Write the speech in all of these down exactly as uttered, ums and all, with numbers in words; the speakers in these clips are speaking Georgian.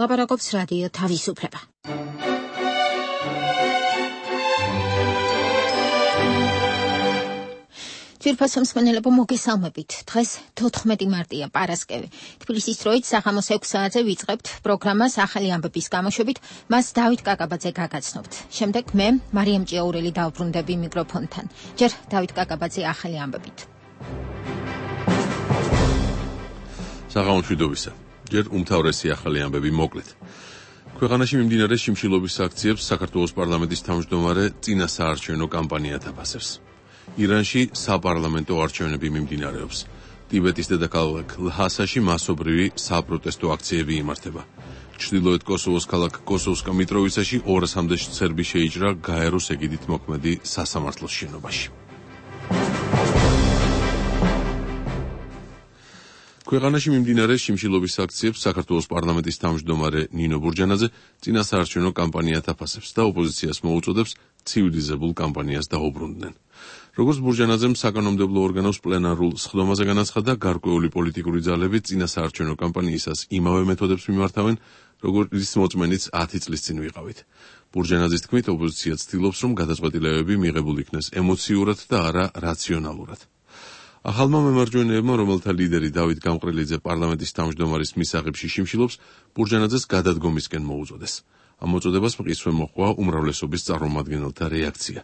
ლაპარაკობს რადიო თავისუფლება. ძვირფასო მსმენელებო, მოგესალმებით. დღეს თოთხმეტი მარტია, პარასკევი. თბილისის დროით საღამოს ექვს საათზე ვიწყებთ პროგრამას ახალი ამბების გამოშვებით, მას დავით კაკაბაძე გაგაცნობთ. შემდეგ მე, მარიამ ჭიაურელი დავბრუნდები მიკროფონთან. ჯერ დავით კაკაბაძე ახალი ამბებით. საღამოს მშვიდობისა. ჯერ უმთავრესი ახალი ამბები მოკლედ. ქვეყანაში მიმდინარე შიმშილობის აქციებს საქართველოს პარლამენტის თავმჯდომარე წინა საარჩევნო კამპანია აფასებს. ირანში საპარლამენტო არჩევნები მიმდინარეობს. ტიბეტის დედაქალაქ ლჰასაში მასობრივი საპროტესტო აქციები იმართება. ჩრდილოეთ კოსოვოს ქალაქ კოსოვსკა მიტროვიცაში ორასამდე სერბი შეიჭრა გაეროს ეგიდით მოქმედი სასამართლოს შენობაში. ქვეყანაში მიმდინარე შიმშილობის აქციებს საქართველოს პარლამენტის თავმჯდომარე ნინო ბურჯანაძე წინა საარჩევნო კამპანიად აფასებს და ოპოზიციას მოუწოდებს ცივილიზებულ კამპანიას დაუბრუნდნენ. როგორც ბურჯანაძემ საკანონმდებლო ორგანოს პლენარულ სხდომაზე განაცხადა, გარკვეული პოლიტიკური ძალები წინა საარჩევნო კამპანიისას იმავე მეთოდებს მიმართავენ, როგორც მოწმენიც ათი წლის წინ ვიყავით. ბურჯანაძის თქმით, ოპოზიცია ცდილობს, რომ გადაწყვეტილებები მიღებულ იქნეს ემოციურად და არა რაციონალურად. ახალმა მემარჯვენეებმა, რომელთა ლიდერი დავით გამყრელიძე პარლამენტის თავმჯდომარის მისაღებში შიმშილობს, ბურჯანაძეს გადადგომისკენ მოუწოდეს. ამ მოწოდებას მყისვე მოჰყვა უმრავლესობის წარმომადგენელთა რეაქცია.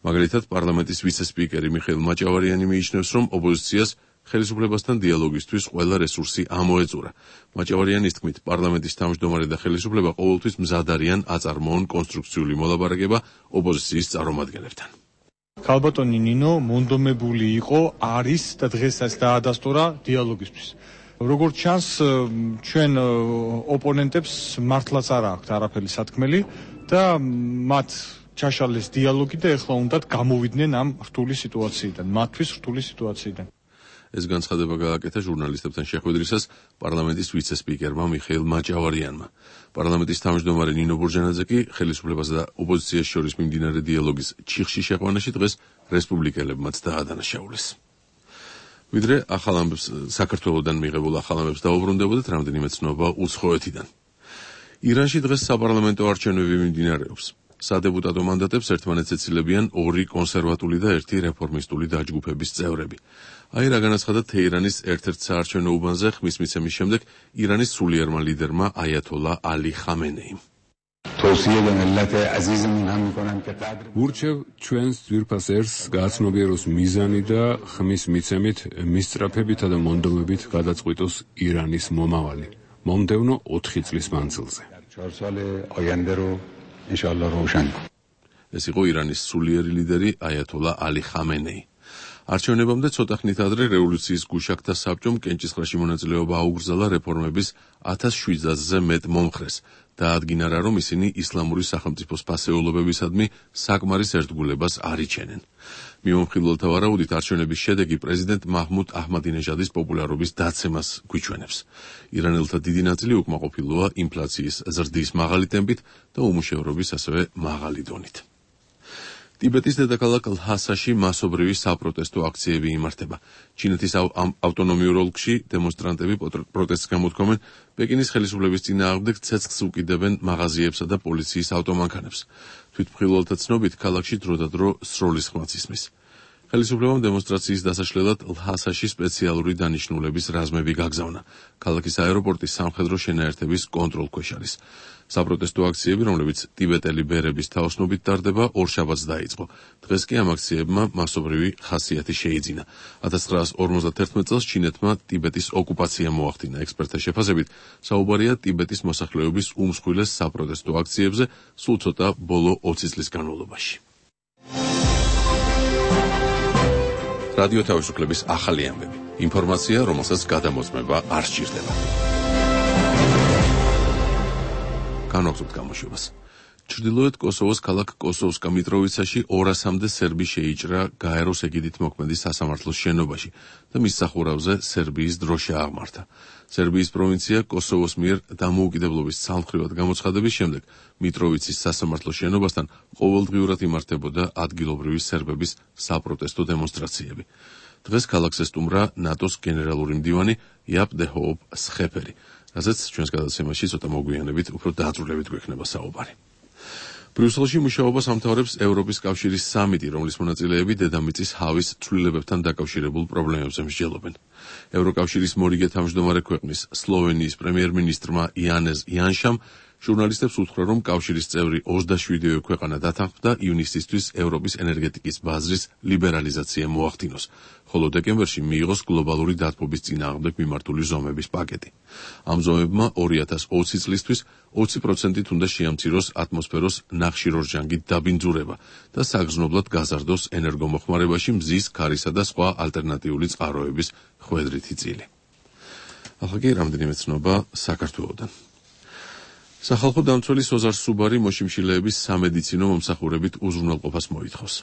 მაგალითად, პარლამენტის ვიცე-სპიკერი მიხეილ მაჭავარიანი მიიჩნევს, რომ ოპოზიციას ხელისუფლებასთან დიალოგისთვის ყველა რესურსი ამოეწურა. მაჭავარიანის თქმით, პარლამენტის თავმჯდომარე და ხელისუფლება ყოველთვის მზად არიან აწარმოონ კონსტრუქციული მოლაპარაკება ოპოზიციის წარმომადგენლებთან. ქალბატონი ნინო მონდომებული იყო, არის და დღესაც დაადასტურა დიალოგისთვის. როგორც ჩანს, ჩვენ ოპონენტებს მართლაც არ აქვთ არაფერი სათქმელი და მათ ჩაშალეს დიალოგი და ეხლა უნდათ გამოვიდნენ ამ რთული სიტუაციიდან, მათთვის რთული სიტუაციიდან. ეს განცხადება გააკეთა ჟურნალისტებთან შეხვედრისას პარლამენტის ვიცე-სპიკერმა მიხეილ მაჭავარიანმა. პარლამენტის თავმჯდომარე ნინო ბურჯანაძე კი ხელისუფლებას და ოპოზიციას შორის მიმდინარე დიალოგის ჩიხში შეყვანაში დღეს რესპუბლიკელებმაც დაადანაშაულეს. ვიდრე ახალ ამბებს საქართველოსდან მიღებულ ახალ ამბებს დაუბრუნდებოდეთ, რამდენიმე ცნობა უცხოეთიდან. ირანში დღეს საპარლამენტო არჩევნები მიმდინარეობს. სადეპუტატო მანდატებს ერთმანეთს ეცილებიან ორი კონსერვატული და ერთი რეფორმისტული დაჯგუფების წევრები. აი რა განაცხადა თეირანის ერთ-ერთ საარჩევნო უბანზე ხმის მიცემის შემდეგ ირანის სულიერმა ლიდერმა აიათოლა ალი ხამენეიმ. ურჩევ ჩვენს ძვირფას ერს გააცნობიეროს მიზანი და ხმის მიცემით მისწრაფებითა და მონდომებით გადაწყვიტოს ირანის მომავალი. მომდევნო ოთხი წლის მანძილზე. ეს იყო ირანის სულიერი ლიდერი აიათოლა ალი ხამენეი. არჩევნებამდე ცოტა ხნით ადრე რევოლუციის გუშაგთა საბჭომ კენჭისყრაში მონაწილეობა აუგრძალა რეფორმების ათას შვიდსათზე მეტ მომხრეს და ადგინა რა, რომ ისინი ისლამური სახელმწიფოს ფასეულობებისადმი საკმარის ერთგულებას არ იჩენენ. მიმომხილველთა ვარაუდით არჩევნების შედეგი პრეზიდენტ მაჰმუდ აჰმადინეჟადის პოპულარობის დაცემას გვიჩვენებს. ირანელთა დიდი ნაწილი უკმაყოფილოა ინფლაციის ზრდის მაღალი ტემპით და უმუშევრობის ასევე მაღალი დონით. ტიბეტის დედაქალაქ ლჰასაში მასობრივი საპროტესტო აქციები იმართება. ჩინეთის ავტონომიურ ოლქში დემონსტრანტები პროტესტს გამოთქვამენ, პეკინის ხელისუფლების წინააღმდეგ ცეცხლს უკიდებენ მაღაზიებსა და პოლიციის ავტომანქანებს. თვითმხილველთა ცნობით, ქალაქში დროდადრო სროლის ხმაც ისმის. ხელისუფლებამ დემონსტრაციის დასაშლელად ლჰასაში სპეციალური დანიშნულების რაზმები გაგზავნა. ქალაქის აეროპორტი სამხედრო შენაერთების კონტროლქვეშ არის. საპროტესტო აქციები, რომლებიც ტიბეტელი ბერების თაოსნობით ტარდება, ორშაბათს დაიწყო. დღეს კი ამ აქციებმა მასობრივი ხასიათი შეიძინა. ათას ცხრაასი ორმოცდაათი წელს ჩინეთმა ტიბეტის ოკუპაცია მოახდინა. ექსპერტთა შეფასებით, საუბარია ტიბეტის მოსახლეობის უმსხვილეს საპროტესტო აქციებზე სულ ცოტა ბოლო ოცი წლის განმავლობაში. რადიო თავისუფლების ახალი ამბები. ინფორმაცია, რომელსაც გადამოწმება არ სჭირდება. განვაგრძობთ გამოშვებას. ჩრდილოეთ კოსოვოს ქალაქ კოსოვსკა მიტროვიცაში ორასამდე სერბი შეიჭრა გაეროს ეგიდით მოქმედი სასამართლოს შენობაში და მის სახურავზე სერბიის დროშა აღმართა. სერბიის პროვინცია კოსოვოს მიერ დამოუკიდებლობის ცალმხრივად გამოცხადების შემდეგ მიტროვიცის სასამართლოს შენობასთან ყოველდღიურად იმართებოდა ადგილობრივი სერბების საპროტესტო დემონსტრაციები. დღეს ქალაქს ესტუმრა ნატოს გენერალური მდივანი იაპ დე ჰოოპ სხეფერი. რაზეც ჩვენს გადაცემაში ცოტა მოგვიანებით უფრო დაძრულებით გვექნება საუბარი. ბრიუსელში მუშაობას ამთავრებს ევროპის კავშირის სამიტი, რომლის მონაწილეები დედამიწის ჰავის ცვლილებებთან დაკავშირებულ პრობლემებზე მსჯელობენ. ევროკავშირის მორიგე თავმჯდომარე ქვეყნის სლოვენიის პრემიერ-მინისტრმა იანეზ იანშამ ჟურნალისტებს უთხრა, რომ კავშირის წევრი ოცდაშვიდივე ქვეყანა დათანხმდა ივნისისთვის ევროპის ენერგეტიკის ბაზრის ლიბერალიზაცია მოახდინოს, ხოლო დეკემბერში მიიღოს გლობალური დათბობის წინააღმდეგ მიმართული ზომების პაკეტი. ამ ზომებმა ორი ათას ოცი წლისთვის ოცი პროცენტით უნდა შეამციროს ატმოსფეროს ნახშირორჟანგით დაბინძურება და საგრძნობლად გაზარდოს ენერგომოხმარებაში მზის, ქარისა და სხვა ალტერნატიული წყაროების ხვედრითი წილი. ახლა კი რამდენიმე ცნობა საქართველოდან. სახალხო დამცველი სოზარ სუბარი მოშიმშილეების სამედიცინო მომსახურებით უზრუნველყოფას მოითხოვს.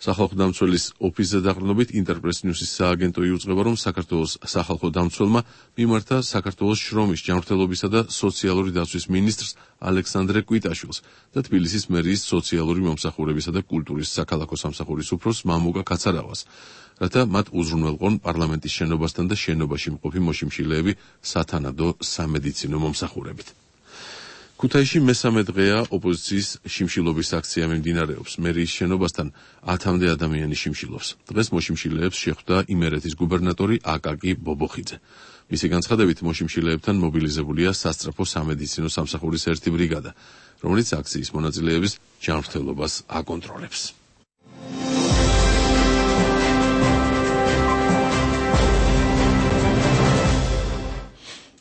სახალხო დამცველის ოფისზე დაყრდნობით ინტერპრეს ნიუსის სააგენტო იუწყება, რომ საქართველოს სახალხო დამცველმა მიმართა საქართველოს შრომის, ჯანმრთელობისა და სოციალური დაცვის მინისტრს ალექსანდრე კვიტაშვილს და თბილისის მერიის სოციალური მომსახურებისა და კულტურის საქალაქო სამსახურის უფროსს მამუკა კაცარავას, რათა მათ უზრუნველყონ პარლამენტის შენობასთან და შენობაში მყოფი მოშიმშილეები სათანადო სამედიცინო მომსახურებით. ქუთაისში მესამე დღეა ოპოზიციის შიმშილობის აქცია მიმდინარეობს. მერიის შენობასთან ათამდე ადამიანი შიმშილობს. დღეს მოშიმშილეებს შეხვდა იმერეთის გუბერნატორი აკაკი ბობოხიძე. მისი განცხადებით მოშიმშილეებთან მობილიზებულია სასწრაფო სამედიცინო სამსახურის ერთი ბრიგადა, რომელიც აქციის მონაწილეების ჯანმრთელობას აკონტროლებს.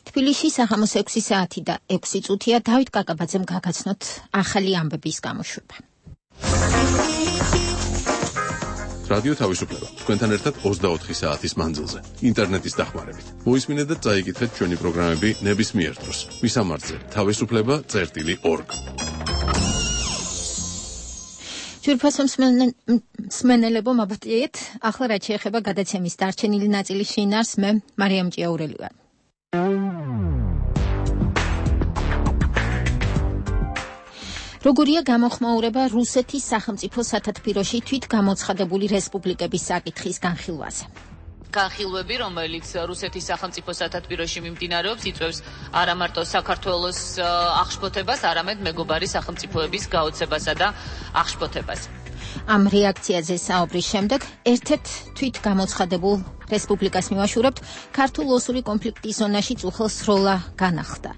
თბილისში საღამოს ექვსი საათი და ექვსი წუთია დავით კაკაბაძემ გაგაცნოთ ახალი ამბების გამოშვება. რადიო თავისუფლება. თქვენთან ერთად ოცდაოთხი საათის მანძილზე, ინტერნეტის დახმარებით. მოისმინეთ და წაიკითხეთ ჩვენი პროგრამები ნებისმიერ დროს. მისამართზე თავისუფლება წერტილი ორგ. ჯვირფასო მსმენელებო, მაბატიეთ, ახლა რაც შეეხება გადაცემის დარჩენილი ნაწილის შინაარსს, მე მარიამ ჭიაურელი ვარ. როგორია გამოხმაურება რუსეთის სახელმწიფო სათათბიროში თვითგამოცხადებული რესპუბლიკების საკითხის განხილვაზე? განხილვები, რომელიც რუსეთის სახელმწიფო სათათბიროში მიმდინარეობს, იწვევს არა მარტო საქართველოს აღშფოთებას, არამედ მეგობარი სახელმწიფოების გაოცებასა და აღშფოთებას. ამ რეაქციაზე საუბრის შემდეგ ერთ-ერთ თვითგამოცხადებულ რესპუბლიკას მივაშურებთ ქართულ ოსური კონფლიქტის ზონაში წუხელ სროლა განახლდა.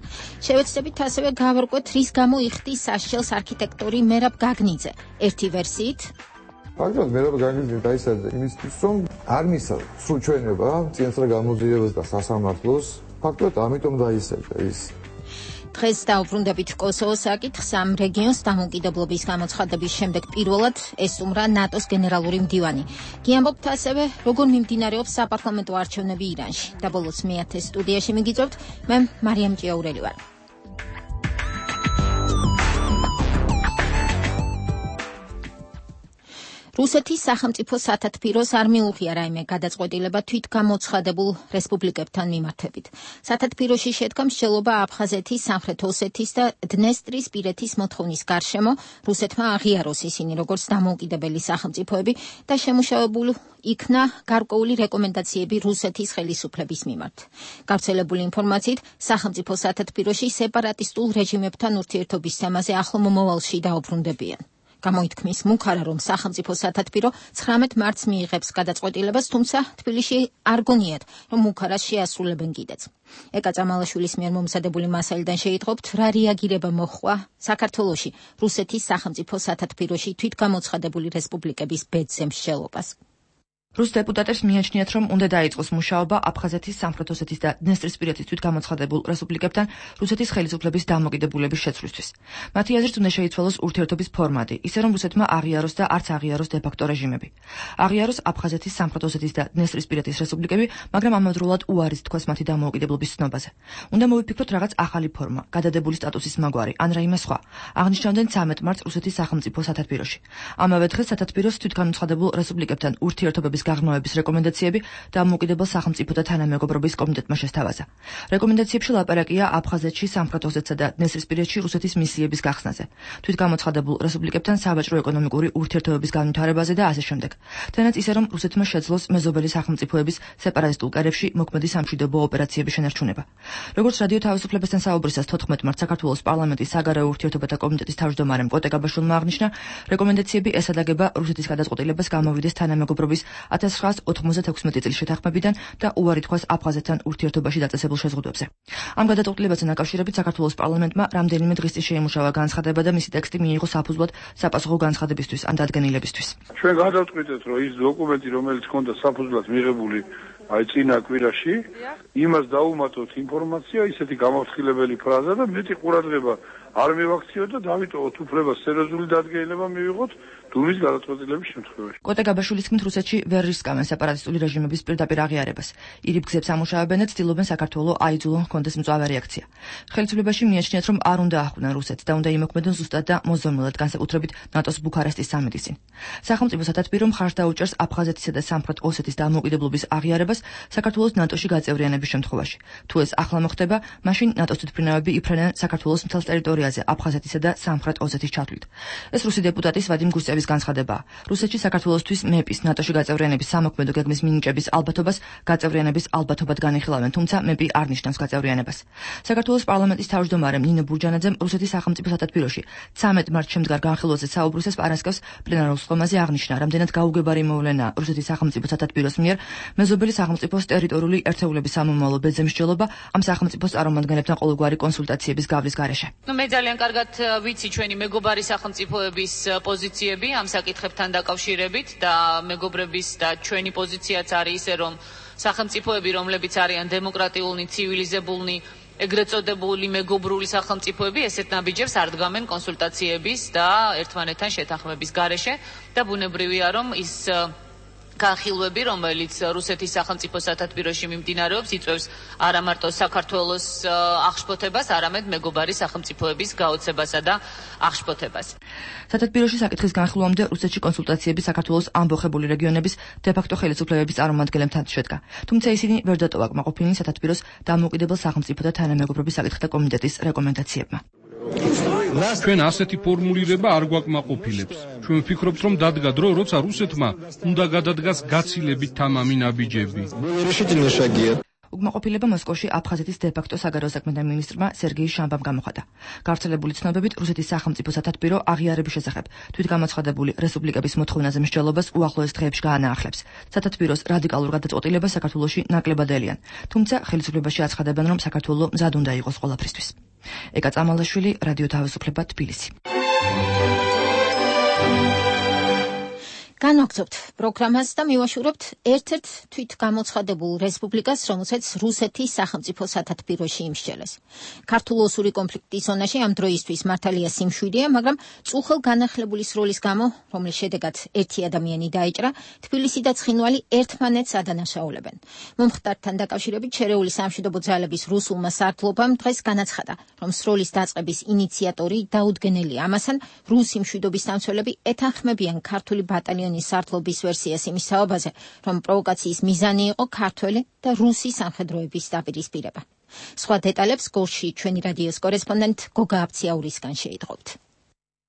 შევეცდებით ასევე გავარკვევთ, რის გამო იხდის სასჯელს არქიტექტორი მერაბ გაგნიძე. ერთი ვერსიით ფაქტობრივად მერაბ გაგნიძე დაისაჯა იმისთვის, რომ არ მისცა სრულ ჩვენება წინასწარ გამოძიებას და სასამართლოს, ფაქტობრივად ამიტომ დაისაჯა ის. დღეს დაუბრუნდებით კოსოვოს საკითხს. ამ რეგიონს დამოუკიდებლობის გამოცხადების შემდეგ პირველად ესტუმრა ნატოს გენერალური მდივანი. გიამბობთ ასევე, როგორ მიმდინარეობს საპარლამენტო არჩევნები ირანში. და ბოლოს მეათე სტუდიაში მიგიწევთ, მე მარიამ ჭიაურელი ვარ. რუსეთის სახელმწიფო სათათბიროს არ მიუღია რაიმე გადაწყვეტილება თვითგამოცხადებულ რესპუბლიკებთან მიმართებით. სათათბიროში შედგა მსჯელობა აფხაზეთის, სამხრეთ ოსეთის და დნესტრისპირეთის მოთხოვნის გარშემო რუსეთმა აღიაროს ისინი როგორც დამოუკიდებელი სახელმწიფოები და შემუშავებულ იქნა გარკვეული რეკომენდაციები რუსეთის ხელისუფლების მიმართ. გავრცელებული ინფორმაციით, სახელმწიფო სათათბიროში სეპარატისტულ რეჟიმებთან ურთიერთობის თემაზე ახლო მომავალში დაუბრუნდებიან. გამოითქმის მუქარა, რომ სახელმწიფო სათათბირო ცხრამეტ მარტს მიიღებს გადაწყვეტილებას, თუმცა თბილისში არ გონიათ, რომ მუქარას შეასრულებენ კიდეც. ეკა წამალაშვილის მიერ მომზადებული მასალიდან შეიტყობთ, რა რეაგირება მოჰყვა საქართველოში რუსეთის სახელმწიფო სათათბიროში თვითგამოცხადებული რესპუბლიკების ბედზე მსჯელობას. რუს დეპუტატებს მიაჩნიათ, რომ უნდა დაიწყოს მუშაობა აფხაზეთის, სამხრეთ ოსეთის და დნესტრისპირეთის თვითგამოცხადებულ რესპუბლიკებთან რუსეთის ხელისუფლების დამოკიდებულების შეცვლისთვის. მათი აზრით უნდა შეიცვალოს ურთიერთობის ფორმატი, ისე რომ რუსეთმა აღიაროს და არც აღიაროს დე-ფაქტო რეჟიმები. აღიაროს აფხაზეთის, სამხრეთ ოსეთის და დნესტრისპირეთის რესპუბლიკები, მაგრამ ამავდროულად უარის თქვას მათი დამოუკიდებლობის ცნობაზე. უნდა მოვიფიქროთ რაღაც ახალი ფორმა, გადადებული სტატუსის მაგვარი, ან რაიმე სხვა. აღნიშნავდნენ ცამეტ მარტს რუსეთის სახელმწიფო სათათბიროში. ამავე დღეს სათათბიროს თვითგამოცხადებულ რესპუბლიკებთან ურთიერთობების სამშვიდობების გაღრმავების რეკომენდაციები დამოუკიდებელ სახელმწიფოთა თანამეგობრობის კომიტეტმა შესთავაზა. რეკომენდაციებში ლაპარაკია აფხაზეთში, სამხრეთ ოსეთსა და დნესტრისპირეთში რუსეთის მისიების გახსნაზე, თვითგამოცხადებულ რესპუბლიკებთან საბაჭრო-ეკონომიკური ურთიერთობების განვითარებაზე და ასე შემდეგ. თანაც ისე რომ რუსეთმა შეძლოს მეზობელი სახელმწიფოების სეპარატისტულ კერებში მოქმედი სამშვიდობო ოპერაციების შენარჩუნება. როგორც რადიო თავისუფლებასთან საუბრისას თოთხმეტ მარტს საქართველოს პარლამენტის საგარეო ურთიერთობათა კომიტეტის თავმჯდომარემ კოტე გაბაშვილმა აღნიშნა, რეკომენდაციები ესადაგება რუსეთის გადაწყვეტილებას გამოვიდეს თანამეგობრობის ათას ცხრაასი ოთხმოცდათექვსმეტი წლის შეთანხმებიდან და უარი თქვას აფხაზეთთან ურთიერთობაში დაწესებულ შეზღუდვებზე. ამ გადაწყვეტილებასთან დაკავშირებით საქართველოს პარლამენტმა რამდენიმე დღის წინ შეიმუშავა განცხადება და მისი ტექსტი მიიღო საფუძვლად საპასუხო განცხადებისთვის ან დადგენილებისთვის. ჩვენ გადავწყვიტეთ, რომ ის დოკუმენტი, რომელიც ჰქონდა საფუძვლად მიღებული აი წინა კვირაში, იმას დაუმატოთ ინფორმაცია, ისეთი გამაფრთხილებელი ფრაზა და მეტი ყურადღება არ მივაქციოთ და დავიტოვოთ უფლება სერიოზული დადგენილება მივიღოთ დუმის გადაწყვეტილების შემთხვევაში. კოტე გაბაშვილის თქმით, რუსეთში ვერ რისკავენ სეპარატისტული რეჟიმების პირდაპირ აღიარებას. ირიბ გზებს ამუშავებენ და ცდილობენ საქართველოს აიძულონ ჰქონდეს მწვავე რეაქცია. ხელისუფლებაში მიაჩნიათ, რომ არ უნდა ახვდნენ რუსეთს და უნდა იმოქმედონ ზუსტად და მოზონმულად, განსაკუთრებით ნატოს ბუქარესტის სამიტის წინ. სახელმწიფო სათათბირო მხარს დაუჭერს აფხაზეთისა და სამხრეთ ოსეთის დამოუკიდებლობის აღიარებას საქართველოს ნატოში გაწევრიანების შემთხვევაში. თუ ეს ახლა მოხდება, მაშინ ნატოს თვითმფრინავები იფრენენ საქართველოს მთელ ტერიტორიაზე აფხაზეთისა და სამხრეთ ოსეთის ჩათვლით. ეს რუსი დეპუტატის ვადიმ გუსტევის განცხადებაა. რუსეთში საქართველოსთვის მეპის ნატოში გაწევრიანების სამოქმედო გეგმის მინიჭების ალბათობას გაწევრიანების ალბათობად განიხილავენ, თუმცა მეპი არ ნიშნავს გაწევრიანებას. საქართველოს პარლამენტის თავმჯდომარემ ნინო ბურჯანაძემ რუსეთის სახელმწიფო სათათბიროში ცამეტ მარტს შემდგარ განხილვაზე საუბრისას პარასკევს პლენარულ სხდომაზე აღნიშნა, რამდენად გაუგებარი მოვლენაა რუსეთის სახელმწიფო სათათბიროს მიერ მეზობელი სახელმწიფოს ტერიტორიული ერთეულების სამომავლო ბეძემსჯელობა ამ სახელმწიფოს წარმომადგენლებთან ყოველგვარი კონსულტაციების გავლის გარეშე. ნუ მე ძალიან კარგად ვიცი ჩვენი მეგობარი სახელმწიფოების პოზიციები ამ საკითხებთან დაკავშირებით და მეგობრების და ჩვენი პოზიციაც არის ისე, რომ სახელმწიფოები, რომლებიც არიან დემოკრატიული, ცივილიზებულნი, ეგრეთ წოდებული მეგობრული სახელმწიფოები, ესეთ ნაბიჯებს არ დგამენ კონსულტაციების და ერთმანეთთან შეთანხმების გარეშე და ბუნებრივია, რომ ის განხილვები, რომელიც რუსეთის სახელმწიფო სათათბიროში მიმდინარეობს, იწვევს არა მარტო საქართველოს აღშფოთებას, არამედ მეგობარი სახელმწიფოების გაოცებასა და აღშფოთებას. სათათბიროში საკითხის განხილვამდე რუსეთში კონსულტაციები საქართველოს ამბოხებული რეგიონების დე-ფაქტო ხელისუფლებების წარმომადგენლებთან შედგა. თუმცა ისინი ვერ დატოვა კმაყოფილნი სათათბიროს დამოუკიდებელ სახელმწიფოთა თანამეგობრობის საკითხთა კომიტეტის რეკომენდაციებმა. ჩვენ ასეთი ფორმულირება არ გვაკმაყოფილებს. ჩვენ ვფიქრობთ, რომ დადგა დრო, როცა რუსეთმა უნდა გადადგას გაცილებით თამამი ნაბიჯები. უკმაყოფილება მოსკოვში აფხაზეთის დე-ფაქტო საგარეო საქმეთა მინისტრმა სერგეი შამბამ გამოხატა. გავრცელებული ცნობებით რუსეთის სახელმწიფო სათათბირო აღიარების შესახებ თვითგამოცხადებული რესპუბლიკების მოთხოვნაზე მსჯელობას უახლოეს დღეებში გაანაახლებს. სათათბიროს რადიკალურ გადაწყვეტილებას საქართველოში ნაკლებად ელიან, თუმცა ხელისუფლებაში აცხადებენ, რომ საქართველო მზად უნდა იყოს ყველაფრისთვის. ეკა წამალაშვილი, რადიო თავისუფლება, თბილისი. განვაგრძობთ პროგრამას და მივაშურებთ ერთ-ერთ თვითგამოცხადებულ რესპუბლიკას, რომელსაც რუსეთის სახელმწიფო სათათბიროში იმსჯელეს. ქართულ-ოსური კონფლიქტის ზონაში ამ დროისთვის მართალია სიმშვიდეა, მაგრამ წუხელ განახლებულის როლის გამო, რომლის შედეგად ერთი ადამიანი დაიჭრა, თბილისი და ცხინვალი ერთმანეთს ადანაშაულებენ. მომხდართან დაკავშირებით შერეული სამშვიდობო ძალების რუსულმა სარდლობამ დღეს განაცხადა, რომ სროლის დაწყების ინიციატორი დაუდგენელი ამასთან რუსი მშვიდობის დამცველები ეთანხმებიან ქართული ბატალიონის სარდლობის ვერსიას იმის საუბაზე, რომ პროვოკაციის მიზანი იყო ქართველი და რუსი სამხედროების დაპირისპირება. სხვა დეტალებს გორში ჩვენი რადიოს კორესპონდენტ გოგა აფციაურისგან შეიტყობთ.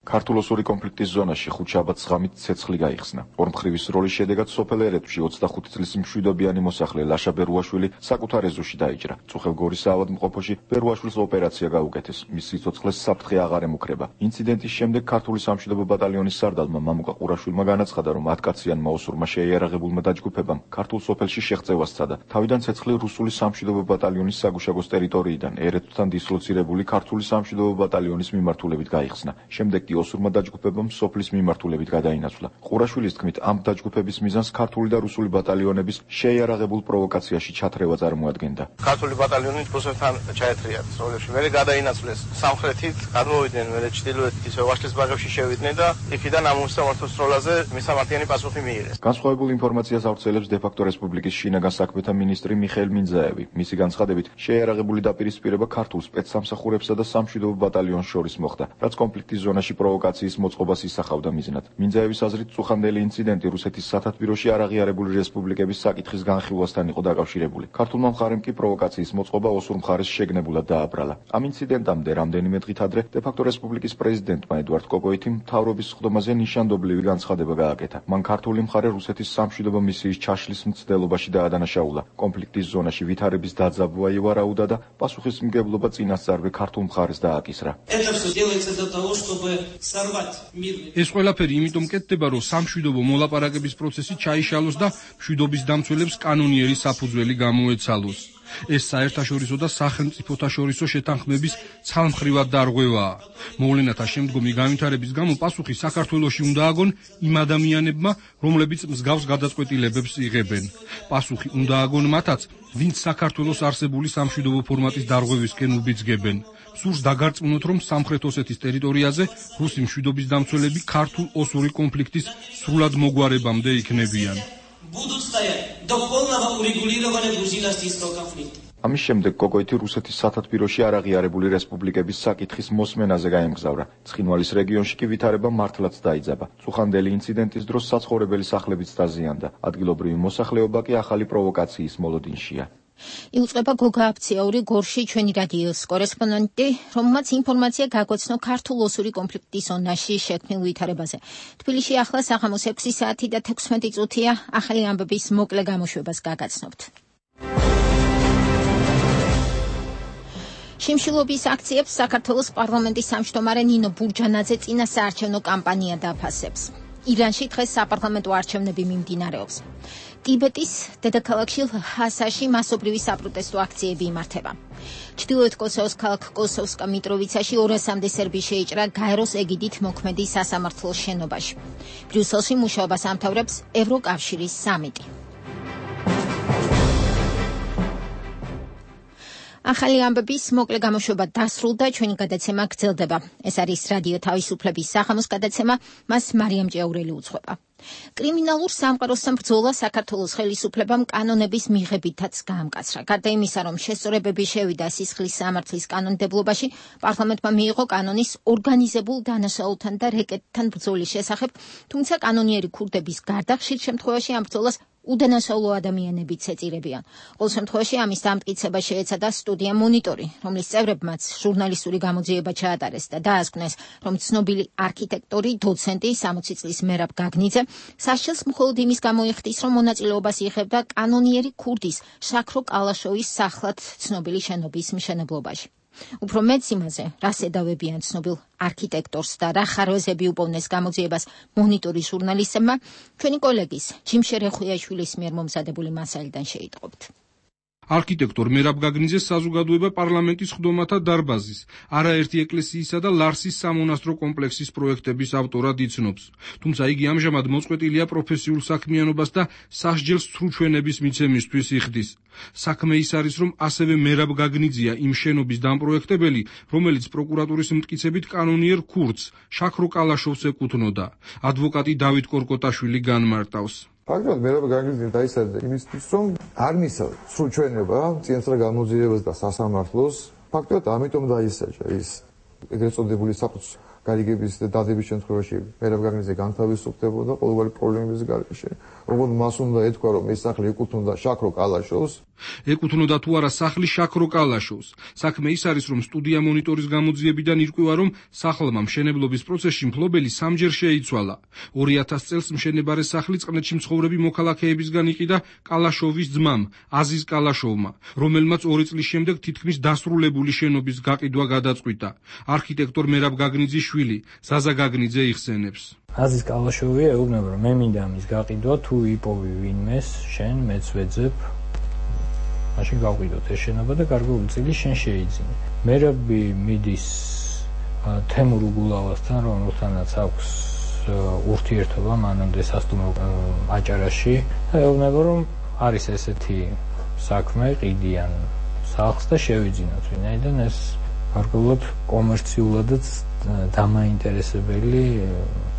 ქართულ-ოსური კონფლიქტის ზონაში ხუთშაბათს ღამით ცეცხლი გაიხსნა. ორმხრივი სროლის შედეგად სოფელ ერეთში ოცდახუთი წლის მშვიდობიანი მოსახლე ლაშა ბერუაშვილი საკუთარ ეზოში დაიჭრა. წუხელგორის საავადმყოფოში ბერუაშვილს ოპერაცია გაუკეთეს. მის სიცოცხლეს საფრთხე აღარ ემუქრება. ინციდენტის შემდეგ ქართული სამშვიდობო ბატალიონის სარდალმა მამუკა ყურაშვილმა განაცხადა, რომ ათკაციანმა ოსურმა შეიარაღებულმა დაჯგუფებამ ქართულ სოფელში შეღწევას სცადა. თავიდან ცეცხლი რუსული სამშვიდობო ბატალიონის საგუშაგოს ტერიტორიიდან ერეთთან დისლოცირებული ქართული სამშვიდობო ბატალიონის მიმართულებით გაიხსნა. შემდეგ ოსურმა დაჯგუფებამ სოფლის მიმართულებით გადაინაცვლა. ყურაშვილის თქმით, ამ დაჯგუფების მიზანს ქართული და რუსული ბატალიონების შეიარაღებულ პროვოკაციაში ჩათრევა წარმოადგენდა. ქართული ბატალიონი რუსეთთან ჩაეთრიათ სროლებში, მერე გადაინაცვლეს სამხრეთით, გადმოვიდნენ მერე ჩრდილოეთით, ისე ვაშლის ბაღებში შევიდნენ და იქიდან ამ უსამართლო სროლაზე მისამართიანი პასუხი მიიღეს. განსხვავებულ ინფორმაციას ავრცელებს დე-ფაქტო რესპუბლიკის შინაგან საქმეთა მინისტრი მიხეილ მინძაევი. მისი განცხადებით, შეიარაღებული დაპირისპირება ქართულ სპეცსამსახურებსა და სამშვიდობო ბატალიონს შორის მოხდა, რაც კონფლიქტის ზონაში პროვოკაციის მოწყობას ისახავდა მიზნად. მინძაევის აზრით, წუხანდელი ინციდენტი რუსეთის სათათბიროში არაღიარებული რესპუბლიკების საკითხის განხილვასთან იყო დაკავშირებული. ქართულმა მხარემ კი პროვოკაციის მოწყობა ოსურ მხარეს შეგნებულად დააბრალა. ამ ინციდენტამდე რამდენიმე დღით ადრე დე-ფაქტო რესპუბლიკის პრეზიდენტმა ედვარდ კოკოითიმ მთავრობის სხდომაზე ნიშანდობლივი განცხადება გააკეთა. მან ქართული მხარე რუსეთის სამშვიდობო მისიის ჩაშლის მცდელობაში დაადანაშაულა. კონფლიქტის ზონაში ვითარების დაძაბვა ივარაუდა და პასუხისმგებლობა წინასწარვე ქართულ მხარეს დააკისრა. ეს ყველაფერი იმიტომ კეთდება, რომ სამშვიდობო მოლაპარაკების პროცესი ჩაიშალოს და მშვიდობის დამცველებს კანონიერი საფუძველი გამოეცალოს. ეს საერთაშორისო და სახელმწიფოთა შორისო შეთანხმების ცალმხრივად დარღვევაა. მოვლენათა შემდგომი განვითარების გამო პასუხი საქართველოში უნდა აგონ იმ ადამიანებმა, რომლებიც მსგავს გადაწყვეტილებებს იღებენ. პასუხი უნდა აგონ მათაც, ვინც საქართველოს არსებული სამშვიდობო ფორმატის დარღვევისკენ უბიძგებენ. სურს დაგარწმუნოთ, რომ სამხრეთ ოსეთის ტერიტორიაზე რუსი მშვიდობის დამცველები ქართულ-ოსური კონფლიქტის სრულად მოგვარებამდე იქნებიან. ამის შემდეგ კოკოითი რუსეთის სათათბიროში არაღიარებული რესპუბლიკების საკითხის მოსმენაზე გაემგზავრა. ცხინვალის რეგიონში კი ვითარება მართლაც დაიძაბა. წუხანდელი ინციდენტის დროს საცხოვრებელი სახლებიც დაზიანდა. ადგილობრივი მოსახლეობა კი ახალი პროვოკაციის მოლოდინშია. იუწყება გოგა აფციაური გორში ჩვენი რადიოს კორესპონდენტი, რომელმაც ინფორმაცია გაგვაცნო ქართულ-ოსური კონფლიქტის ზონაში შექმნილ ვითარებაზე. თბილისში ახლა საღამოს ექვსი საათი და თექვსმეტი წუთია. ახალი ამბების მოკლე გამოშვებას გაგაცნობთ. შიმშილობის აქციებს საქართველოს პარლამენტის სამშტომარე ნინო ბურჯანაძე წინა საარჩევნო კამპანია დაფასებს. ირანში დღეს საპარლამენტო არჩევნები მიმდინარეობს. ტიბეტის დედაქალაქში ლჰასაში მასობრივი საპროტესტო აქციები იმართება. ჩრდილოეთ კოსოვოს ქალაქ კოსოვსკა მიტროვიცაში ორასამდე სერბი შეიჭრა გაეროს ეგიდით მოქმედი სასამართლოს შენობაში. ბრიუსელში მუშაობას ამთავრებს ევროკავშირის სამიტი. ახალი ამბების მოკლე გამოშვება დასრულდა, ჩვენი გადაცემა გრძელდება. ეს არის რადიო თავისუფლების საღამოს გადაცემა, მას მარიამ ჭეაურელი უძღვება. კრიმინალურ სამყაროსთან ბრძოლა საქართველოს ხელისუფლებამ კანონების მიღებითაც გაამკაცრა. გარდა იმისა, რომ შესწორებები შევიდა სისხლის სამართლის კანონმდებლობაში, პარლამენტმა მიიღო კანონის ორგანიზებულ დანაშაულთან და რეკეტთან ბრძოლის შესახებ, თუმცა კანონიერი ქურდების გარდა ხშირ შემთხვევაში ამ ბრძოლას უდანაშაულო ადამიანებიც ეწირებიან. ყოველ შემთხვევაში ამის დამტკიცება შეეცადა სტუდია მონიტორი, რომლის წევრებმაც ჟურნალისტური გამოძიება ჩაატარეს და დაასკვნეს, რომ ცნობილი არქიტექტორი, დოცენტი, სამოცი წლის მერაბ გაგნიძე სასჯელს მხოლოდ იმის გამო იხდის, რომ მონაწილეობას იღებდა კანონიერი ქურდის შაქრო კალაშოვის სახლად ცნობილი შენობის მშენებლობაში. უფრო მეც იმაზე, რას ედავებიან ცნობილ არქიტექტორს და რა ხარვეზები უპოვნეს გამოძიებას მონიტორის ჟურნალისტებმა, ჩვენი კოლეგის ჯიმშე რეხუიაშვილის მიერ მომზადებული მასალიდან შეიტყობთ. არქიტექტორ მერაბ გაგნიძეს საზოგადოება პარლამენტის ხდომათა დარბაზის, არაერთი ეკლესიისა და ლარსის სამონასტრო კომპლექსის პროექტების ავტორად იცნობს. თუმცა იგი ამჟამად მოწყვეტილია პროფესიულ საქმიანობას და სასჯელს სრუჩვენების მიცემისთვის იხდის. საქმე ის არის, რომ ასევე მერაბ გაგნიძეა იმ შენობის დამპროექტებელი, რომელიც პროკურატურის მტკიცებით კანონიერ ქურდს, შაქრო კალაშოვს ეკუთვნოდა. ადვოკატი დავით კორკოტაშვილი განმარტავს. ფაქტობრივად მერაბ გაგნიძე დაისაჯა იმისთვის, რომ არ მისცა სრუჩვენება წინასწარ გამოძიებას და სასამართლოს. ფაქტობრივად ამიტომ დაისაჯა ის ეგრეთ წოდებული საფუძვლის გარიგების და დადების შემთხვევაში მერაბ გაგნიძე განთავისუფლებოდა ყოველგვარი პრობლემების გარეშე. როგორც მას უნდა ეთქვა, რომ ეს სახლი ეკუთვნოდა შაქრო კალაშოვს. ეკუთვნოდა თუ არა სახლი შაქრო კალაშოვს. საქმე ის არის, რომ სტუდია მონიტორის გამოძიებიდან ირკვევა, რომ სახლმა მშენებლობის პროცესში მფლობელი სამჯერ შეიცვალა. ორი ათას წელს მშენებარე სახლი წყნეთში მცხოვრები მოქალაქეებისგან იყიდა კალაშოვის ძმამ, აზიზ კალაშოვმა, რომელმაც ორი წლის შემდეგ თითქმის დასრულებული შენობის გაყიდვა გადაწყვიტა. არქიტექტორ მერაბ გაგნიძის შვილი, ზაზა გაგნიძე იხსენებს. აზიზ კალაშოვი ეუბნება, რომ მე მინდა ამის გაყიდვა, თუ იპოვი ვინმეს, შენ მეც ვეძებ, მაშინ გავყიდოთ ეს შენობა და გარკვეული წილი შენ შეიძინე. მერაბი მიდის თემურ უგულავასთან, რომელთანაც აქვს ურთიერთობა მანამდე სასტუმრო აჭარაში, და ეუბნება, რომ არის ესეთი საქმე, ყიდიან სახლს და შევიძინოთ, ვინაიდან ეს გარკვეულად კომერციულადაც დამაინტერესებელი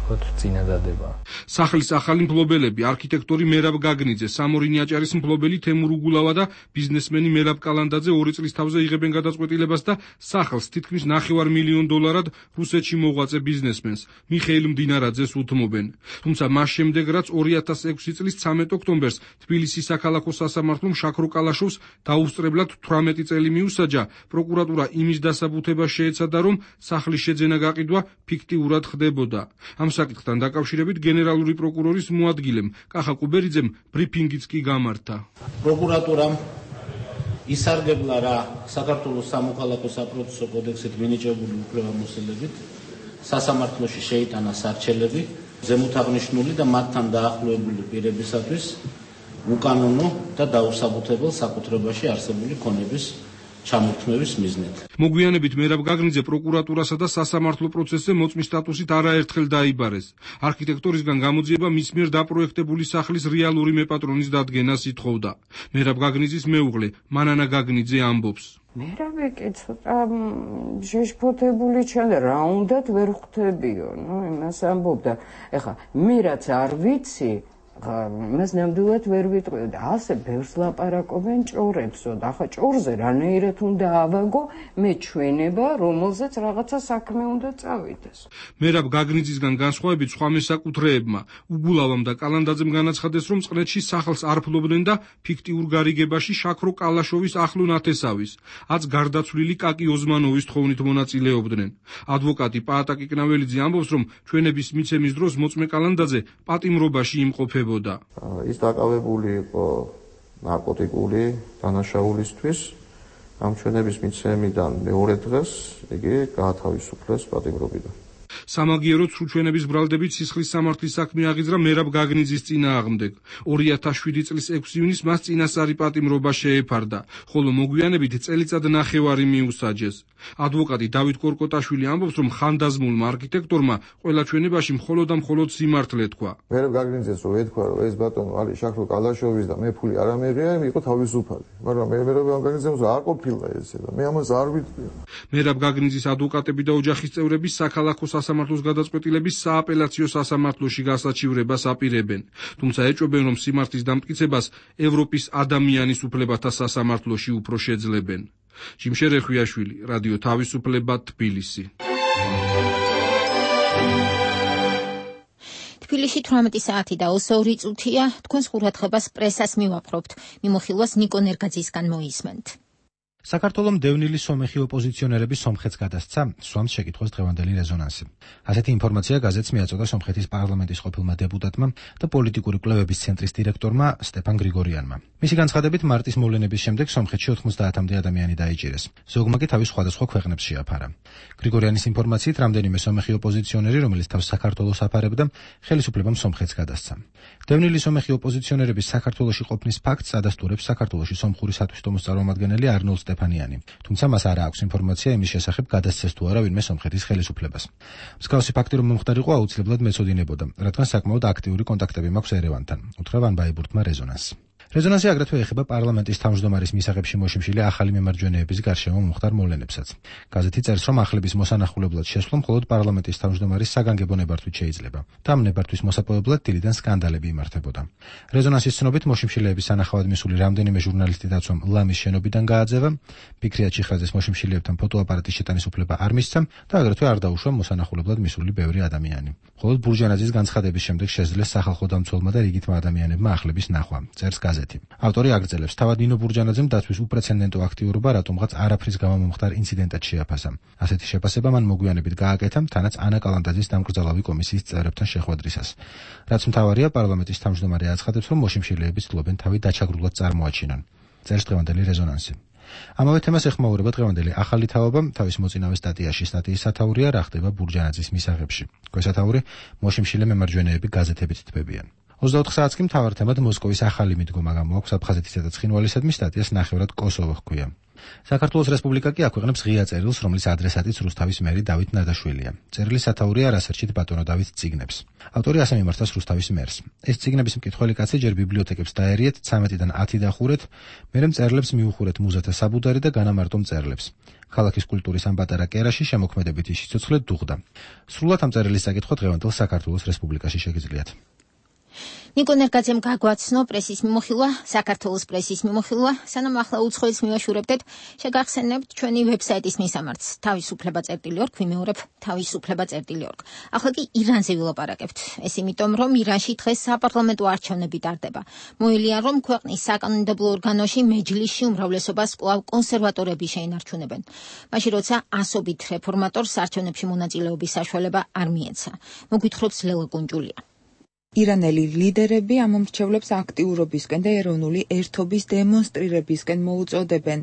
ვთქვათ, წინადადება. სახლის ახალი მფლობელები არქიტექტორი მერაბ გაგნიძე, სამორინი აჭარის მფლობელი თემურ უგულავა და ბიზნესმენი მერაბ კალანდაძე ორი წლის თავზე იღებენ გადაწყვეტილებას და სახლს თითქმის ნახევარ მილიონ დოლარად რუსეთში მოღვაწე ბიზნესმენს მიხეილ მდინარაძეს უთმობენ. თუმცა მას შემდეგ, რაც ორი ათას ექვსი წლის ცამეტ ოქტომბერს თბილისის საქალაქო სასამართლომ შაქრო კალაშოვს დაუსწრებლად თვრამეტი წელი მიუსაჯა, პროკურატურა იმის დასაბუთებას შეეცადა, რომ სახლის შეძენა გაყიდვა ფიქტიურად ხდებოდა. ამ საკითხთან დაკავშირებით გენერალური პროკურორის მოადგილემ კახა კუბერიძემ ბრიფინგიც კი გამართა. პროკურატურამ ისარგებლა რა საქართველოს სამოქალაქო საპროცესო კოდექსით მინიჭებული უფლებამოსილებით სასამართლოში შეიტანა სარჩელები ზემოთაღნიშნული და მათთან დაახლოებული პირებისათვის უკანონო და დაუსაბუთებელ საკუთრებაში არსებული ქონების ჩამოთმევის მიზნით. მოგვიანებით მერაბ გაგნიძე პროკურატურასა და სასამართლო პროცესზე მოწმის სტატუსით არაერთხელ დაიბარეს. არქიტექტორისგან გამოძიება მის მიერ დაპროექტებული სახლის რეალური მეპატრონის დადგენას ითხოვდა. მერაბ გაგნიძის მეუღლე მანანა გაგნიძე ამბობს. მერაბი კი ცოტა შეშფოთებული ჩანდა, რა უნდათ ვერ ხვდებიო, ნუ იმას ამბობდა. ეხა მე რაც არ ვიცი, მას ნამდვილად ვერ ვიტყვი და ასე ბევრს ლაპარაკობენ ჭორებსო და ახლა ჭორზე რანაირად უნდა ავაგო მე ჩვენება, რომელზეც რაღაცა საქმე უნდა წავიდეს. მერაბ გაგნიძისგან განსხვავებით სხვა მესაკუთრეებმა უგულავამ და კალანდაძემ განაცხადეს, რომ წყნეთში სახლს არ ფლობდნენ და ფიქტიურ გარიგებაში შაქრო კალაშოვის ახლო ნათესავის, აც გარდაცვლილი კაკი ოზმანოვის თხოვნით მონაწილეობდნენ. ადვოკატი პაატა კიკნაველიძე ამბობს, რომ ჩვენების მიცემის დროს მოწმე კალანდაძე პატიმრობაში იმყოფებოდა. ის დაკავებული იყო ნარკოტიკული დანაშაულისთვის. ამ ჩვენების მიცემიდან მეორე დღეს იგი გაათავისუფლეს პატიმრობიდან. სამაგიეროდ სრულჩვენების ბრალდებით სისხლის სამართლის საქმე აღიძრა მერაბ გაგნიძის წინააღმდეგ. ორი ათას შვიდი წლის ექვსი ივნისს მას წინასწარი პატიმრობა შეეფარდა, ხოლო მოგვიანებით წელიწად ნახევარი მიუსაჯეს. ადვოკატი დავით კორკოტაშვილი ამბობს, რომ ხანდაზმულმა არქიტექტორმა ყველა ჩვენებაში მხოლოდ და მხოლოდ სიმართლე თქვა. მერაბ გაგნიძეს რო ეთქვა, რომ ეს ბატონო არის შაქრო კალაშოვის და მე ფული არ ამეღია, იყო თავისუფალი. მაგრამ მე მერაბ გაგნიძეს არ ყოფილა ესე და მე ამას არ ვიტყვი. მერაბ გაგნიძის ადვოკატები და ოჯახის წევრები საქალაქო სასამართლოს გადაწყვეტილების სააპელაციო სასამართლოში გასაჩივრებას აპირებენ. თუმცა ეჭვებენ, რომ სიმართლის დამტკიცებას ევროპის ადამიანის უფლებათა სასამართლოში უფრო შეძლებენ. ჯიმშერ ეხვიაშვილი, რადიო თავისუფლება, თბილისი. თბილისში თვრამეტი საათი და ოცდაორი წუთია. თქვენს ყურადღებას პრესას მივაპყრობთ. მიმოხილვას ნიკო ნერგაძისგან მოისმენთ. საქართველოს დევნილი სომეხი ოპოზიციონერები სომხეთს გადასცა, სვამს შეკითხვას დღევანდელი რეზონანსი. ასეთი ინფორმაცია გაზეთს მიაწოდა სომხეთის პარლამენტის ყოფილმა დეპუტატმა და პოლიტიკური კვლევების ცენტრის დირექტორმა სტეფან გრიგორიანმა. მისი განცხადებით, მარტის მოვლენების შემდეგ სომხეთში ოთხმოცდაათამდე ადამიანი დაიჭირეს. ზოგმა კი თავის სხვადასხვა ქვეყნებს შეაფარა. გრიგორიანის ინფორმაციით, რამდენიმე სომეხი ოპოზიციონერი, რომელიც თავს საქართველოს აფარებდა, ხელისუფლებამ სომხეთს გადასცა. დევნილი სომეხი ოპოზიციონერების საქართველოში ყოფნის ფაქტს ადასტურებს საქართველოში სომხური სათვისტომოს წარმომადგენელი არნოლდ სტეფანიანი. თუმცა მას არ აქვს ინფორმაცია იმის შესახებ, გადასცეს თუ არა ვინმე სომხეთის ხელისუფლებას. მსგავსი ფაქტი რომ მომხდარიყო, აუცილებლად მეცოდინებოდა, რადგან საკმაოდ აქტიური კონტაქტები მაქვს ერევანთან, უთხრა ვან ბაიბურთმა რეზონანსს. რეზონანსი აგრეთვე ეხება პარლამენტის თავმჯდომარის მისაღებში მოშიმშილი ახალი მემარჯვენეების გარშემო მომხდარ მოვლენებსაც. გაზეთი წერს, რომ ახლების მოსანახულებლად შესვლა მხოლოდ პარლამენტის თავმჯდომარის საგანგებო ნებართვით შეიძლება და ამ ნებართვის მოსაპოვებლად დილიდან სკანდალები იმართებოდა. რეზონანსის ცნობით მოშიმშილეების სანახავად მისული რამდენიმე ჟურნალისტი დაცვამ ლამის შენობიდან გააძევა, ფიქრია ჩიხაძეს მოშიმშილეებთან ფოტოაპარატის შეტანის უფლება არ მისცა და აგრეთვე არ დაუშვა მოსანახულებლად მისული ბევრი ადამიანი. მხოლოდ ბურჯანაძის განცხადების შემდეგ შეძლეს სახალხო დამცველმა და რიგითმა ადამიანებმა ახლების ნახვა, წერს გაზეთი. ავტორი აგრძელებს, თავად ნინო ბურჯანაძემ დაცვის უპრეცედენტო აქტიურობა რატომღაც არაფრის გამო მომხდარ ინციდენტად შეაფასა. ასეთი შეფასება მან მოგვიანებით გააკეთა, თანაც ანა კალანდაძის დამკრძალავი კომისიის წევრებთან შეხვედრისას. რაც მთავარია, პარლამენტის თავმჯდომარე აცხადებს, რომ მოშიმშილეები ცდილობენ თავი დაჩაგრულად წარმოაჩინონ. წერს დღევანდელი რეზონანსი. ამავე თემას ეხმაურება დღევანდელი ახალი თაობა, თავის მოწინავე სტატიაში სტატიის სათაურია რა ხდება ბურჯანაძის მისაღებში. ქვესათაური მოშიმშილე მემარჯვენეები გაზეთებით თბებიან. ოცდაოთხ საათს კი მთავარ თემად მოსკოვის ახალი მიდგომა გამოაქვს აფხაზეთისა და ცხინვალისადმი, სტატიას ნახევრად კოსოვო ჰქვია. საქართველოს რესპუბლიკა კი აქვეყნებს ღია წერილს, რომლის ადრესატიც რუსთავის მერი დავით ნადაშვილია. წერილის სათაურია რასერჩით ბატონო დავით წიგნებს. ავტორი ასე მიმართავს რუსთავის მერს. ეს წიგნების მკითხველი კაცი ჯერ ბიბლიოთეკებს დაერიეთ, ცამეტიდან ათი დახურეთ, მერე მწერლებს მიუხურეთ მუზათა საბუდარი და განამარტო მწერლებს. ქალაქის კულტურის ამ პატარა კერაში შემოქმედებითი სიცოცხლე დუღდა. სრულად ამ წერილის საკითხვა დღევანდელ საქართველოს რესპუბლიკაში შეგიძლიათ. ნიკო ნერგაძემ გაგვაცნო პრესის მიმოხილვა, საქართველოს პრესის მიმოხილვა, სანამ ახლა უცხოელს მივაშურებდეთ, შეგახსენებთ ჩვენი ვებსაიტის მისამართს თავისუფლება წერტილი ორგ, ვიმეორებ თავისუფლება წერტილი ორგ. ახლა კი ირანზე ვილაპარაკებთ. ეს იმიტომ, რომ ირანში დღეს საპარლამენტო არჩევნები ტარდება. მოელიან, რომ ქვეყნის საკანონმდებლო ორგანოში მეჯლისში უმრავლესობას კვლავ კონსერვატორები შეინარჩუნებენ. მაშინ როცა ასობით რეფორმატორს არჩევნებში მონაწილეობის საშუალება არ მიეცა. მოგვითხრობს ლელა კუნჯულია. ირანელი ლიდერები ამ მომრჩევლებს აქტიურობისკენ და ეროვნული ერთობის დემონსტრირებისკენ მოუწოდებენ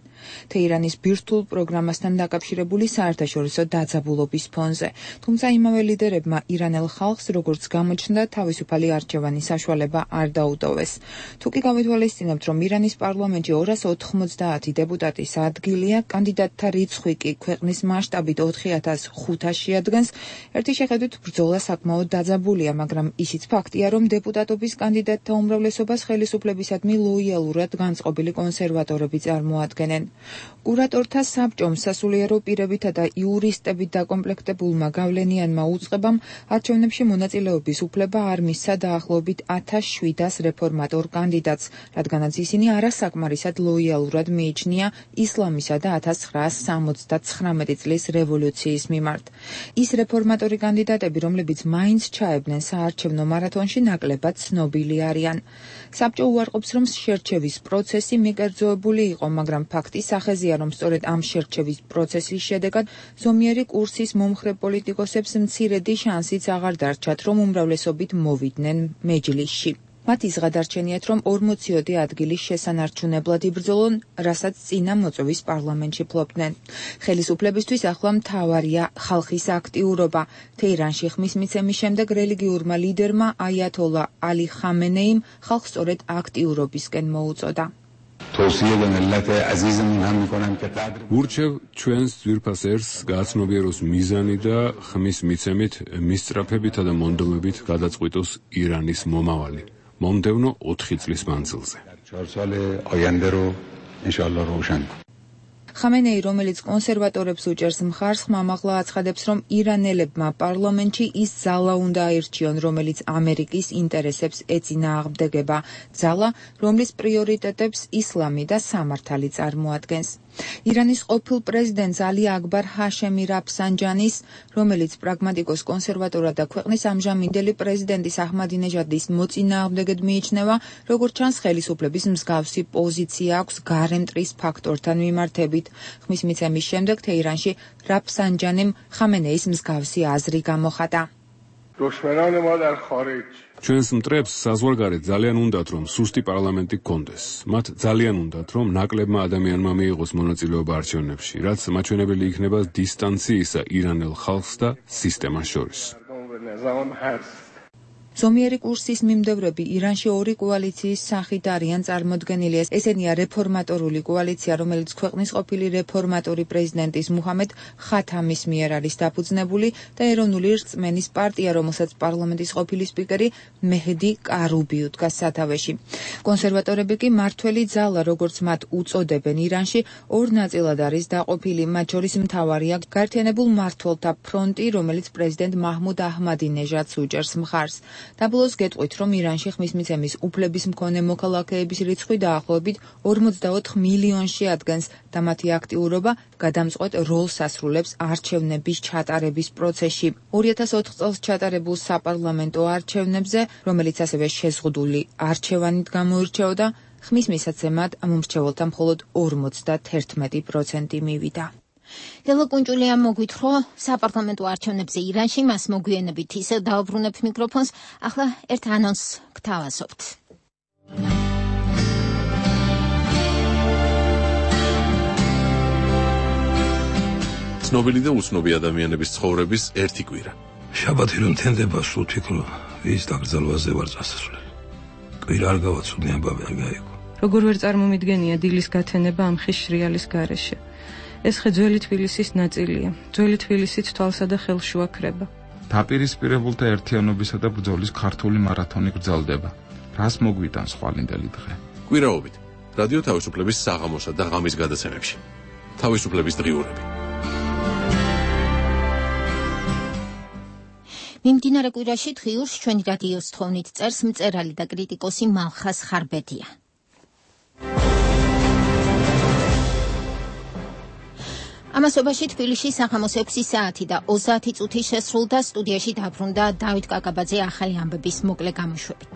თეირანის ბირთვულ პროგრამასთან დაკავშირებული საერთაშორისო დაძაბულობის ფონზე. თუმცა იმავე ლიდერებმა ირანელ ხალხს, როგორც გამოჩნდა, თავისუფალი არჩევანის საშუალება არ დაუტოვეს. თუ კი გავითვალისწინებთ, რომ ირანის პარლამენტში ორას ოთხმოცდაათი დეპუტატის ადგილია, კანდიდატთა რიცხვი კი ქვეყნის მასშტაბით ოთხი ათას ხუთასი ადგენს, ერთი შეხედვით ბრძოლა საკმაოდ დაძაბულია, მაგრამ ისიც ფაქტია, რომ დეპუტატობის კანდიდატთა უმრავლესობას ხელისუფლებისადმი ლოიალურად განწყობილი კონსერვატორები წარმოადგენენ. კურატორთა საბჭომ სასულიერო პირებითა და იურისტებით დაკომპლექტებულმა გავლენიანმა უწყებამ არჩევნებში მონაწილეობის უფლება არ მისცა დაახლოებით ათას შვიდას რეფორმატორ კანდიდატს, რადგანაც ისინი არასაკმარისად ლოიალურად მიიჩნია ისლამისა და ათას ცხრაას სამოცდათხრამეტი წლის რევოლუციის მიმართ. ის რეფორმატორი კანდიდატები, რომლებიც მაინც ჩაებდნენ საარჩევნო მარათონში, ნაკლებად ცნობილი არიან. საბჭო უარყოფს, რომ შერჩევის პროცესი მიკერძოებული იყო, მაგრამ ფაქტი სახეზეა, რომ სწორედ ამ შერჩევის პროცესის შედეგად ზომიერი კურსის მომხრე პოლიტიკოსებს მცირედი შანსიც აღარ დარჩათ, რომ უმრავლესობით მოვიდნენ მეჯლისში. მათ ის გადარჩენიათ, რომ ორმოციოდე ადგილის შესანარჩუნებლად იბრძოლონ, რასაც წინა მოწვევის პარლამენტში ფლობდნენ. ხელისუფლებისთვის ახლა მთავარია ხალხის актიურობა. თეირანში ხმის მიცემის შემდეგ რელიგიურმა ლიდერმა აიათოლა ალი ხამენეიმ ხალხს სწორედ აქტიურობისკენ მოუწოდა. ურჩევ ჩვენს ძვირფას ერს გააცნობიეროს მიზანი და ხმის მიცემით მისწრაფებითა და მონდომებით გადაწყვიტოს ირანის მომავალი. მომდევნო ოთხი წლის მანძილზე. ხამენეი, რომელიც კონსერვატორებს უჭერს მხარს, ხმამაღლა აცხადებს, რომ ირანელებმა პარლამენტში ის ძალა უნდა აირჩიონ, რომელიც ამერიკის ინტერესებს ეწინააღმდეგება, ძალა, რომლის პრიორიტეტებს ისლამი და სამართალი წარმოადგენს. ირანის ყოფილ პრეზიდენტს ალი აკბარ ჰაშემი რაფსანჯანის, რომელიც პრაგმატიკოს კონსერვატორად და ქვეყნის ამჟამინდელი პრეზიდენტის აჰმადინეჟადის მოწინააღმდეგედ მიიჩნევა, როგორც ჩანს ხელისუფლების მსგავსი პოზიცია აქვს გარემტრის ფაქტორთან მიმართებით. ხმის მიცემის შემდეგ თეირანში რაფსანჯანიმ ხამენეის მსგავსი აზრი გამოხატა. ჩვენს მტრებს საზღვარგარეთ ძალიან უნდათ, რომ სუსტი პარლამენტი გქონდეს. მათ ძალიან უნდათ, რომ ნაკლებმა ადამიანმა მიიღოს მონაწილეობა არჩევნებში, რაც მაჩვენებელი იქნება დისტანციისა ირანელ ხალხს და სისტემას შორის. ზომიერი კურსის მიმდევრები ირანში ორი კოალიციის სახით არიან წარმოდგენილი. ესენია რეფორმატორული კოალიცია, რომელიც ქვეყნის ყოფილი რეფორმატორი პრეზიდენტის მუჰამედ ხათამის მიერ არის დაფუძნებული და ეროვნული რწმენის პარტია, რომელსაც პარლამენტის ყოფილი სპიკერი მეჰდი კარუბი უდგას სათავეში. კონსერვატორები კი მართველი ძალა, როგორც მათ უწოდებენ ირანში, ორ ნაწილად არის დაყოფილი. მათ შორის მთავარია გაერთიანებულ მმართველთა ფრონტი, რომელიც პრეზიდენტ მაჰმუდ აჰმადინეჟადს უჭერს მხარს. დაბლოს გეტყვით, რომ ირანში ხმის მიცემის უფლების მქონე მოქალაქეების რიცხვი დაახლოებით ორმოცდაოთხ მილიონში ადგენს და მათი აქტიურობა გადამწყვეტ როლს ასრულებს არჩევნების ჩატარების პროცესში. ორი ათას ოთხ წელს ჩატარებულ საპარლამენტო არჩევნებზე, რომელიც ასევე შეზღუდული არჩევანით გამოირჩეოდა, ხმის მისაცემად მომრჩეველთა მხოლოდ ორმოცდაერთმეტი პროცენტი მივიდა. ლელა კუნჯულია მოგვითხოვ საპარლამენტო არჩევნებზე ირანში, მას მოგვიანებით ისევ დავბრუნებ მიკროფონს. ახლა ერთ ანონსს გთავაზობთ. ცნობილი და უცნობი ადამიანების ცხოვრების ერთი კვირა. შაბათი რომ თენდება, სულ ფიქრო, ვის დაკრძალვაზე ვარ წასასვლელი. კვირა არ გავაცნობ, ამბავი არ გაიგო. როგორ ვერ წარმომიდგენია დილის გათენება ამ ხის შრიალის გარეშე. ეს ხე ძველი თბილისის ნაწილია. ძველი თბილისით თვალსა და ხელშუა ქრება. დაპირისპირებულთა ერთიანობისა და ბრძოლის ქართული მარათონი გრძელდება. რას მოგვიტანს ხვალინდელი დღე? კვირაობით რადიო თავისუფლების საღამოსა და ღამის გადაცემებში. თავისუფლების დღიურები. მიმდინარე კვირაში დღიურს ჩვენი რადიოს თხოვნით წერს მწერალი და კრიტიკოსი მალხას ხარბედია. ამასობაში თბილისში საღამოს ექვსი საათი და ოცდაათი წუთი შესრულდა, სტუდიაში დაბრუნდა დავით კაკაბაძე ახალი ამბების მოკლე გამოშვებით.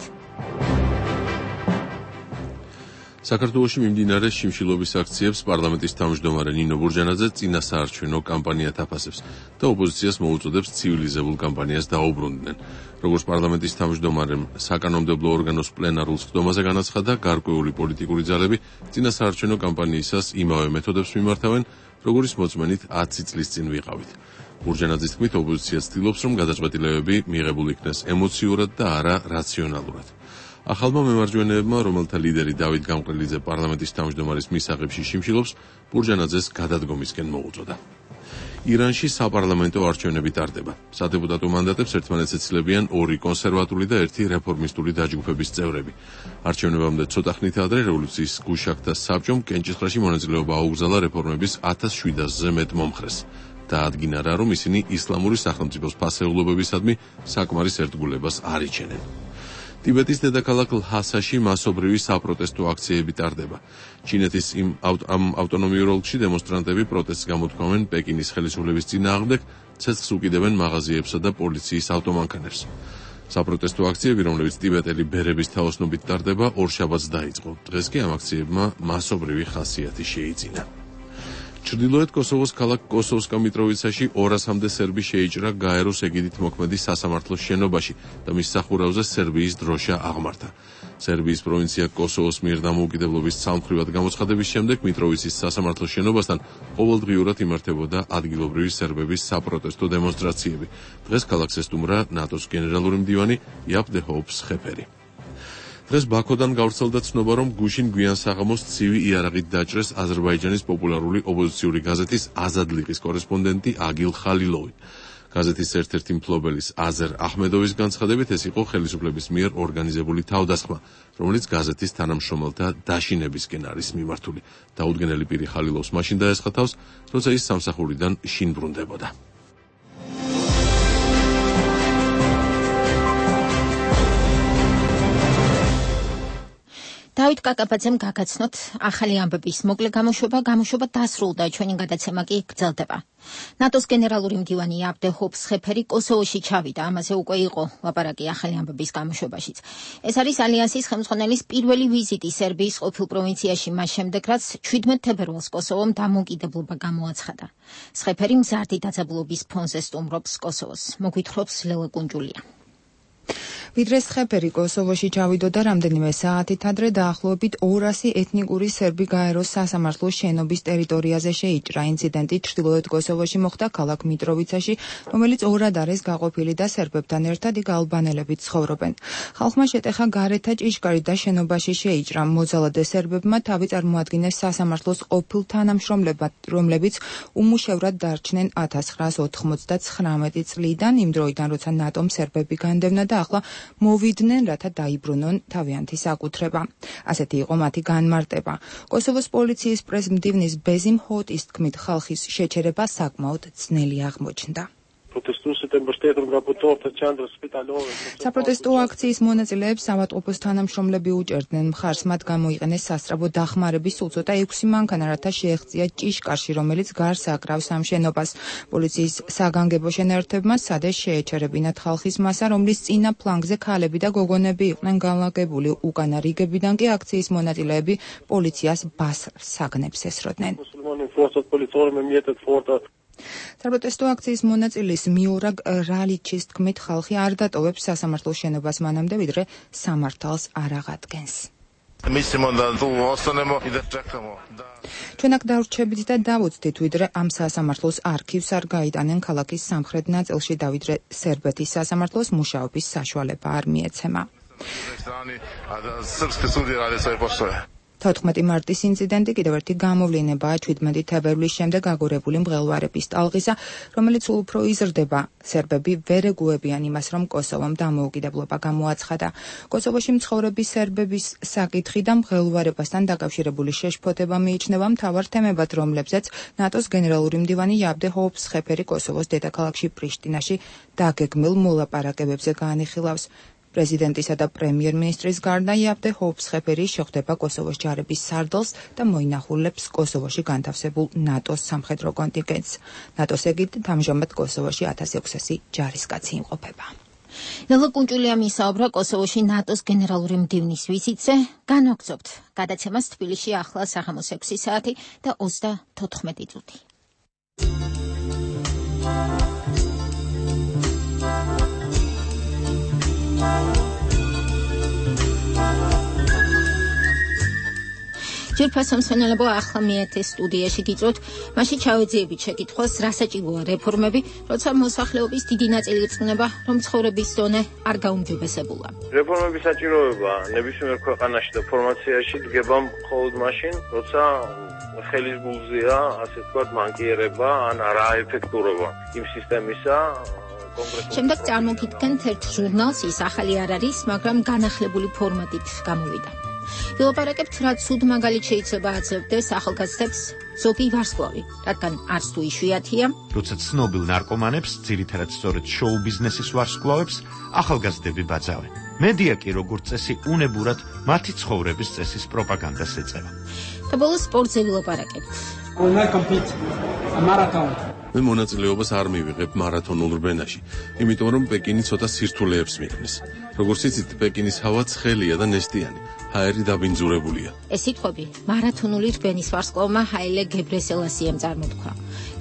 საქართველოში მიმდინარე შიმშილობის აქციებს პარლამენტის თავმჯდომარე ნინო ბურჯანაძე წინასაარჩევნო კამპანიად აფასებს და ოპოზიციას მოუწოდებს ცივილიზებულ კამპანიას დაუბრუნდნენ. როგორც პარლამენტის თავმჯდომარემ საკანონმდებლო ორგანოს პლენარულ სხდომაზე განაცხადა, გარკვეული პოლიტიკური ძალები წინასაარჩევნო კამპანიისას იმავე მეთოდებს მიმართავენ, როგორც მოწმენით ათი წლის წინ ვიყავით. ბურჯანაძის თქმით, ოპოზიცია ცდილობს, რომ გადაწყვეტილებები მიღებულ იქნეს ემოციურად და არა რაციონალურად. ახალმა მემარჯვენეებმა, რომელთა ლიდერი დავით გამყრელიძე პარლამენტის თავმჯდომარის მისაღებში შიმშილობს, ბურჯანაძეს გადადგომისკენ მოუწოდა. ირანში საპარლამენტო არჩევნები ტარდება. სადეპუტატო მანდატებს ერთმანეთს ეცილებიან ორი კონსერვატული და ერთი რეფორმისტული დაჯგუფების წევრები. არჩევნებამდე ცოტა ხნით ადრე რევოლუციის გუშაგთა საბჭომ კენჭისყრაში მონაწილეობა აუგზავნა რეფორმების ათას შვიდასზე მეტ მომხრეს. დაადგინა რა, რომ ისინი ისლამური სახელმწიფოს ფასეულობებისადმი საკმარის ერთგულებას არ იჩენენ. ტიბეტის დედაქალაქ ლჰასაში მასობრივი საპროტესტო აქციები ტარდება. ჩინეთის იმ ამ ავტონომიურ ოლქში დემონსტრანტები პროტესტს გამოთქვამენ პეკინის ხელისუფლების წინააღმდეგ, ცეცხლს უკიდებენ მაღაზიებსა და პოლიციის ავტომანქანებს. საპროტესტო აქციები, რომლებიც ტიბეტელი ბერების თაოსნობით ტარდება, ორშაბათს დაიწყო. დღეს კი ამ აქციებმა მასობრივი ხასიათი შეიძინა. ჩრდილოეთ კოსოვოს ქალაქ კოსოვსკა მიტროვიცაში ორასამდე სერბი შეიჭრა გაეროს ეგიდით მოქმედი სასამართლოს შენობაში და მის სახურავზე სერბიის დროშა აღმართა. სერბიის პროვინცია კოსოვოს მიერ დამოუკიდებლობის ცალმხრივად გამოცხადების შემდეგ მიტროვიცის სასამართლოს შენობასთან ყოველდღიურად იმართებოდა ადგილობრივი სერბების საპროტესტო დემონსტრაციები. დღეს ქალაქს ესტუმრა ნატოს გენერალური მდივანი იაპ დე ჰოუპს ხეფერი. დღეს ბაქოდან გავრცელდა ცნობა, რომ გუშინ გვიან საღამოს ცივი იარაღით დაჭრეს აზერბაიჯანის პოპულარული ოპოზიციური გაზეთის აზადლიყის კორესპონდენტი აგილ ხალილოვი. გაზეთის ერთ-ერთი მფლობელის აზერ აჰმედოვის განცხადებით, ეს იყო ხელისუფლების მიერ ორგანიზებული თავდასხმა, რომელიც გაზეთის თანამშრომელთა დაშინებისკენ არის მიმართული. დაუდგენელი პირი ხალილოვს მაშინ დაესხა თავს, როცა ის სამსახურიდან შინ ბრუნდებოდა. დავით კაკაბაძემ გაგაცნოთ ახალი ამბების მოკლე გამოშვება, გამოშვება დასრულდა, ჩვენი გადაცემა კი გრძელდება. ნატოს გენერალური მდივანი იაპ დე ჰოუპს ხეფერი კოსოვოში ჩავიდა, ამაზე უკვე იყო ლაპარაკი ახალი ამბების გამოშვებაშიც. ეს არის ალიანსის ხელმძღვანელის პირველი ვიზიტი სერბიის ყოფილ პროვინციაში მას შემდეგ, რაც შვიდმეტ თებერვალს კოსოვომ დამოუკიდებლობა გამოაცხადა. ხეფერი მზარდი დაძაბულობის ფონზე სტუმრობს კოსოვოს. მოგვითხრობს ლელა კუნჯულია. ვიდრე ხეფერი კოსოვოში ჩავიდოდა რამდენიმე საათით ადრე, დაახლოებით ორასი ეთნიკური სერბი გაეროს სასამართლოს შენობის ტერიტორიაზე შეიჭრა. ინციდენტი ჩრდილოეთ კოსოვოში მოხდა ქალაქ მიტროვიცაში, რომელიც ორად არის გაყოფილი და სერბებთან ერთად იქ ალბანელები ცხოვრობენ. ხალხმა შეტეხა გარეთა ჭიშკარი და შენობაში შეიჭრა. მოძალადე სერბებმა თავი წარმოადგინეს სასამართლოს ყოფილ თანამშრომლებად, რომლებიც უმუშევრად დარჩნენ ათას ცხრაას ოთხმოცდაცხრამეტი წლიდან, იმ დროიდან, როცა ნატომ სერბები განდევნა და ახლა მოვიდნენ, რათა დაიბრუნონ თავიანთი საკუთრება. ასეთი იყო მათი განმარტება. კოსოვოს პოლიციის პრესმდივნის ბეზიმ ჰოტის თქმით, ხალხის შეჩერება საკმაოდ ძნელი აღმოჩნდა. საპროტესტო აქციის მონაწილეებს ავადმყოფოს თანამშრომლები უჭერდნენ მხარს, მათ გამოიყენეს სასწრაფო დახმარების სულ ცოტა ექვსი მანქანა, რათა შეეღწია ჭიშკარში, რომელიც გარს აკრავს ამ შენობას. პოლიციის საგანგებო შენაერთებმა სადე შეეჩერებინათ ხალხის მასა, რომლის წინა ფლანგზე ქალები და გოგონები იყვნენ განლაგებული. უკანა რიგებიდან კი აქციის მონაწილეები პოლიციას ბასრ საგნებს ესროდნენ. საპროტესტო აქციის მონაწილის მიორაგ რალიჩის თქმით, ხალხი არ დატოვებს სასამართლოს შენობას მანამდე, ვიდრე სამართალს არ აღადგენს. ჩვენ აქ დავრჩებით და დავუცდით, ვიდრე ამ სასამართლოს არქივს არ გაიტანენ ქალაქის სამხრეთ ნაწილში და ვიდრე სერბეთის სასამართლოს მუშაობის საშუალება არ მიეცემა. თოთხმეტი მარტის ინციდენტი კიდევ ერთი გამოვლინებაა ჩვიდმეტი თებერვლის შემდეგ აგორებული მღელვარების ტალღისა, რომელიც უფრო იზრდება. სერბები ვერ ეგუებიან იმას, რომ კოსოვომ დამოუკიდებლობა გამოაცხადა. კოსოვოში მცხოვრები სერბების საკითხი და მღელვარებასთან დაკავშირებული შეშფოთება მიიჩნევა მთავარ თემებად, რომლებზეც ნატოს გენერალური მდივანი იაბდე ჰოუფსხეფერი კოსოვოს დედაქალაქში პრიშტინაში დაგეგმილ მოლაპარაკებებზე გაანიხილავს. პრეზიდენტისა და პრემიერ-მინისტრის გარდა იაბდე ჰოუფსხეფერი შეხვდება კოსოვოს ჯარების სარდლს და მოინახულებს კოსოვოში განთავსებულ ნატოს სამხედრო კონტინგენტს. ნატოს ეგიდით ამჟამად კოსოვოში ათას ექვსასი ჯარისკაცი იმყოფება. ნელა კუნჭულიამ ისაუბრა კოსოვოში ნატოს გენერალური მდივნის ვიზიტზე. განვაგრძობთ გადაცემას თბილისში ახლა საღამოს ექვსი საათი და ოცდათოთხმეტი წუთი. ჯერფასო მსმენელებო, ახლა მეათე სტუდიაში გიწვევთ, მაშინ ჩავეძიებით შეკითხვას, რა საჭიროა რეფორმები, როცა მოსახლეობის დიდი ნაწილი ირწმუნება, რომ ცხოვრების დონე არ გაუმჯობესებულა. რეფორმების საჭიროება ნებისმიერ ქვეყანაში და ფორმაციაში დგება მხოლოდ მაშინ, როცა ხელის გულზეა, ასე ვთქვათ, მანკიერება ან არაეფექტურობა იმ სისტემისა. შემდეგ წარმოგიდგენთ ერთ ჟურნალს, ის ახალი არ არის, მაგრამ განახლებული ფორმატით გამოვიდა. ვილაპარაკებთ, რაც სულ მაგალითად შეიძლება აცევდეს ახალგაზრდებს ზოგი ვარსკვლავი, რადგან არც თუ იშვიათია, როცა ცნობილ ნარკომანებს, ძირითადად სწორედ შოუ ბიზნესის ვარსკვლავებს, ახალგაზრდები ბაძავენ. მედია კი როგორც წესი უნებურად მათი ცხოვრების წესის პროპაგანდას ეწევა. და ბოლოს სპორტზე ვილაპარაკებთ. მე მონაწილეობას არ მივიღებ მარათონულ რბენაში, იმიტომ რომ პეკინი ცოტა სირთულეებს მიყნის. როგორც იცით, პეკინის ჰავა ცხელია და ნესტიანი, ჰაერი დაბინძურებულია. ეს სიტყვები მარათონული რბენის ვარსკვლავმა ჰაილე გებრესელასიამ წარმოთქვა.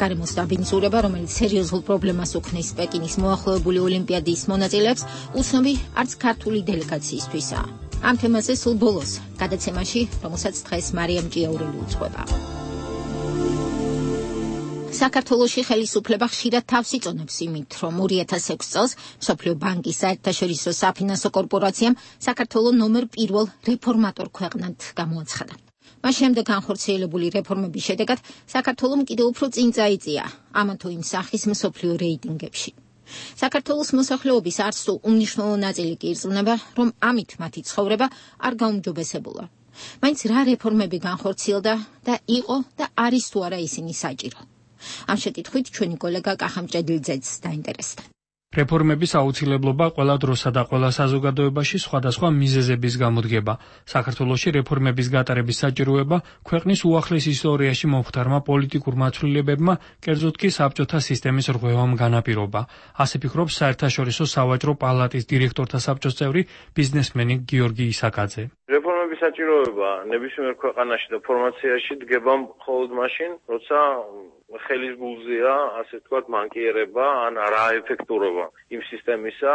გარემოს დაბინძურება, რომელიც სერიოზულ პრობლემას უქმნის პეკინის მოახლოებული ოლიმპიადის მონაწილეებს, უცნობი არც ქართული დელეგაციისთვისაა. ამ თემაზე სულ ბოლოს გადაცემაში, რომელსაც დღეს მარიამ ჭიაურელი უძღვება. საქართველოში ხელისუფლება ხშირად თავს იწონებს იმით, რომ ორი ათას ექვსი წელს მსოფლიო ბანკის საერთაშორისო საფინანსო კორპორაციამ საქართველოს ნომერ პირველ რეფორმატორ ქვეყნად გამოაცხადა. მას შემდეგ განხორციელებული რეფორმების შედეგად საქართველომ კიდევ უფრო წინ წაიწია ამა თუ იმ სახის მსოფლიო რეიტინგებში. საქართველოს მოსახლეობის არც თუ უმნიშვნელო ნაწილი კი ირწმუნება, რომ ამით მათი ცხოვრება არ გაუმჯობესებულა. მაინც რა რეფორმები განხორციელდა და იყო და არის თუ არა ისინი საჭირო. ამ შეკითხვით ჩვენი კოლეგა კახამ ჭედლიძეც დაინტერესდა. რეფორმების აუცილებლობა ყველა დროსა და ყველა საზოგადოებაში სხვადასხვა მიზეზების გამოდგება. საქართველოში რეფორმების გატარების საჭიროება ქვეყნის უახლეს ისტორიაში მომხდარმა პოლიტიკურმა ცვლილებებმა, კერძოდ კი საბჭოთა სისტემის რღვევამ განაპირობა. ასე ფიქრობს საერთაშორისო სავაჭრო პალატის დირექტორთა საბჭოს წევრი ბიზნესმენი გიორგი ისაკაძე. რეფორმების საჭიროება ნებისმიერ ქვეყანაში და ფორმაციაში დგება მხოლოდ მაშინ, როცა ხელის გულზეა, ასე ვთქვათ, მანკიერება ან არაეფექტურობა იმ სისტემისა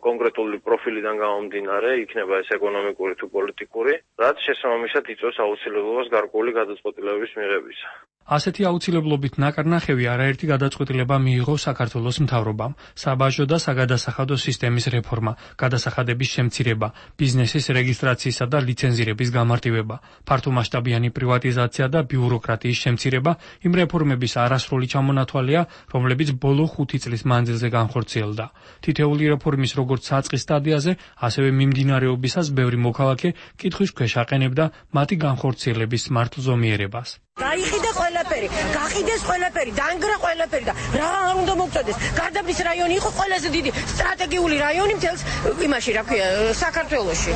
კონკრეტული პროფილიდან გამომდინარე, იქნება ეს ეკონომიკური თუ პოლიტიკური, რაც შესაბამისად იწვევს აუცილებლობას გარკვეული გადაწყვეტილებების მიღებისა. ასეთი აუცილებლობით ნაკარნახევი არაერთი გადაწყვეტილება მიიღო საქართველოს მთავრობამ: საბაჟო და საგადასახადო სისტემის რეფორმა, გადასახადების შემცირება, ბიზნესის რეგისტრაციისა და ლიცენზირების გამარტივება, ფართომასშტაბიანი პრივატიზაცია და ბიუროკრატიის შემცირება, იმ რეფორმების არასრული ჩამონათვალია, რომლებიც ბოლო ხუთი წლის მანძილზე განხორციელდა. თითეული რეფორმის როგორც საწყის სტადიაზე, ასევე მიმდინარეობისას ბევრი მოქალაქე კითხვის ქვეშ აყენებდა მათი განხორციელების მართლზომიერებას. გაიყიდა ყველაფერი, გაყიდეს ყველაფერი, დაანგრა ყველაფერი და რა არ უნდა მოგწოდეს. გარდაბნის რაიონი იყო ყველაზე დიდი სტრატეგიული რაიონი მთელს იმაში, რა ქვია, საქართველოში.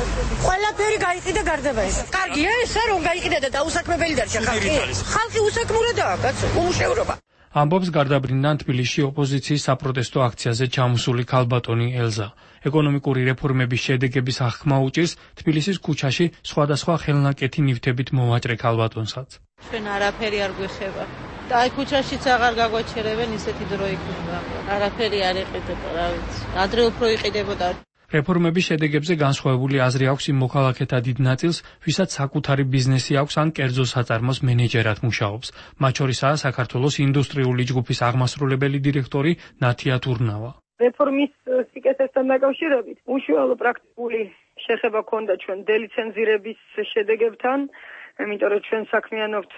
ყველაფერი გაიყიდა გარდაბნის. კარგია ესა რომ გაიყიდა და დაუსაქმებელი დარჩა ხალხი. ხალხი უსაქმურადაა, კაცო, უმუშევრობა. ამბობს გარდაბრინდან თბილისში ოპოზიციის საპროტესტო აქციაზე ჩამოსული ქალბატონი ელზა. ეკონომიკური რეფორმების შედეგების აღქმა უჭირს თბილისის ქუჩაში სხვადასხვა ხელნაკეთი ნივთებით მოვაჭრე ქალბატონსაც. ჩვენ არაფერი არ გვეხება. და აი ქუჩაშიც აღარ გაგვაჩერებენ, ისეთი დრო იქნება. არაფერი არ იყიდება, რა ვიცი. ადრე უფრო იყიდებოდა. რეფორმების შედეგებზე განსხვავებული აზრი აქვს იმ მოქალაქეთა დიდ ნაწილს, ვისაც საკუთარი ბიზნესი აქვს ან კერძო საწარმოს მენეჯერად მუშაობს. მათ შორისაა საქართველოს ინდუსტრიული ჯგუფის აღმასრულებელი დირექტორი ნათია თურნავა. რეფორმის სიკეთესთან დაკავშირებით უშუალო პრაქტიკული შეხება ქონდა ჩვენ დელიცენზირების შედეგებთან, იმიტომ რომ ჩვენ საქმიანობთ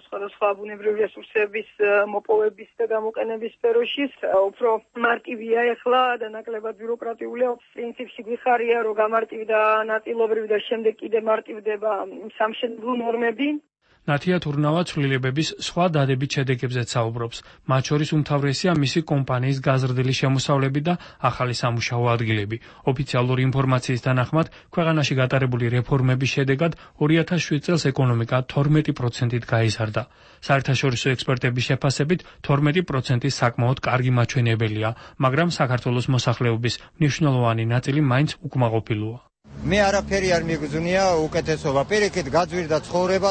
სხვადასხვა ბუნებრივი რესურსების მოპოვების და გამოყენების სფეროში, უფრო მარტივია ეხლა და ნაკლებად ბიუროკრატიულია. პრინციპში გვიხარია, რომ გამარტივდა ნაწილობრივ და შემდეგ კიდე მარტივდება სამშენებლო ნორმები. ნათია თურნავა ცვლილებების სხვა დადებით შედეგებზეც საუბრობს. მათ შორის უმთავრესია მისი კომპანიის გაზრდილი შემოსავლები და ახალი სამუშაო ადგილები. ოფიციალური ინფორმაციის თანახმად, ქვეყანაში გატარებული რეფორმების შედეგად ორი ათას შვიდ წელს ეკონომიკა თორმეტი პროცენტით გაიზარდა. საერთაშორისო ექსპერტების შეფასებით თორმეტი პროცენტი საკმაოდ კარგი მაჩვენებელია, მაგრამ საქართველოს მოსახლეობის მნიშვნელოვანი ნაწილი მაინც უკმაყოფილოა. მე არაფერი არ მიგზნია უკეთესობა, პირიქით გაძვირდა ცხოვრება.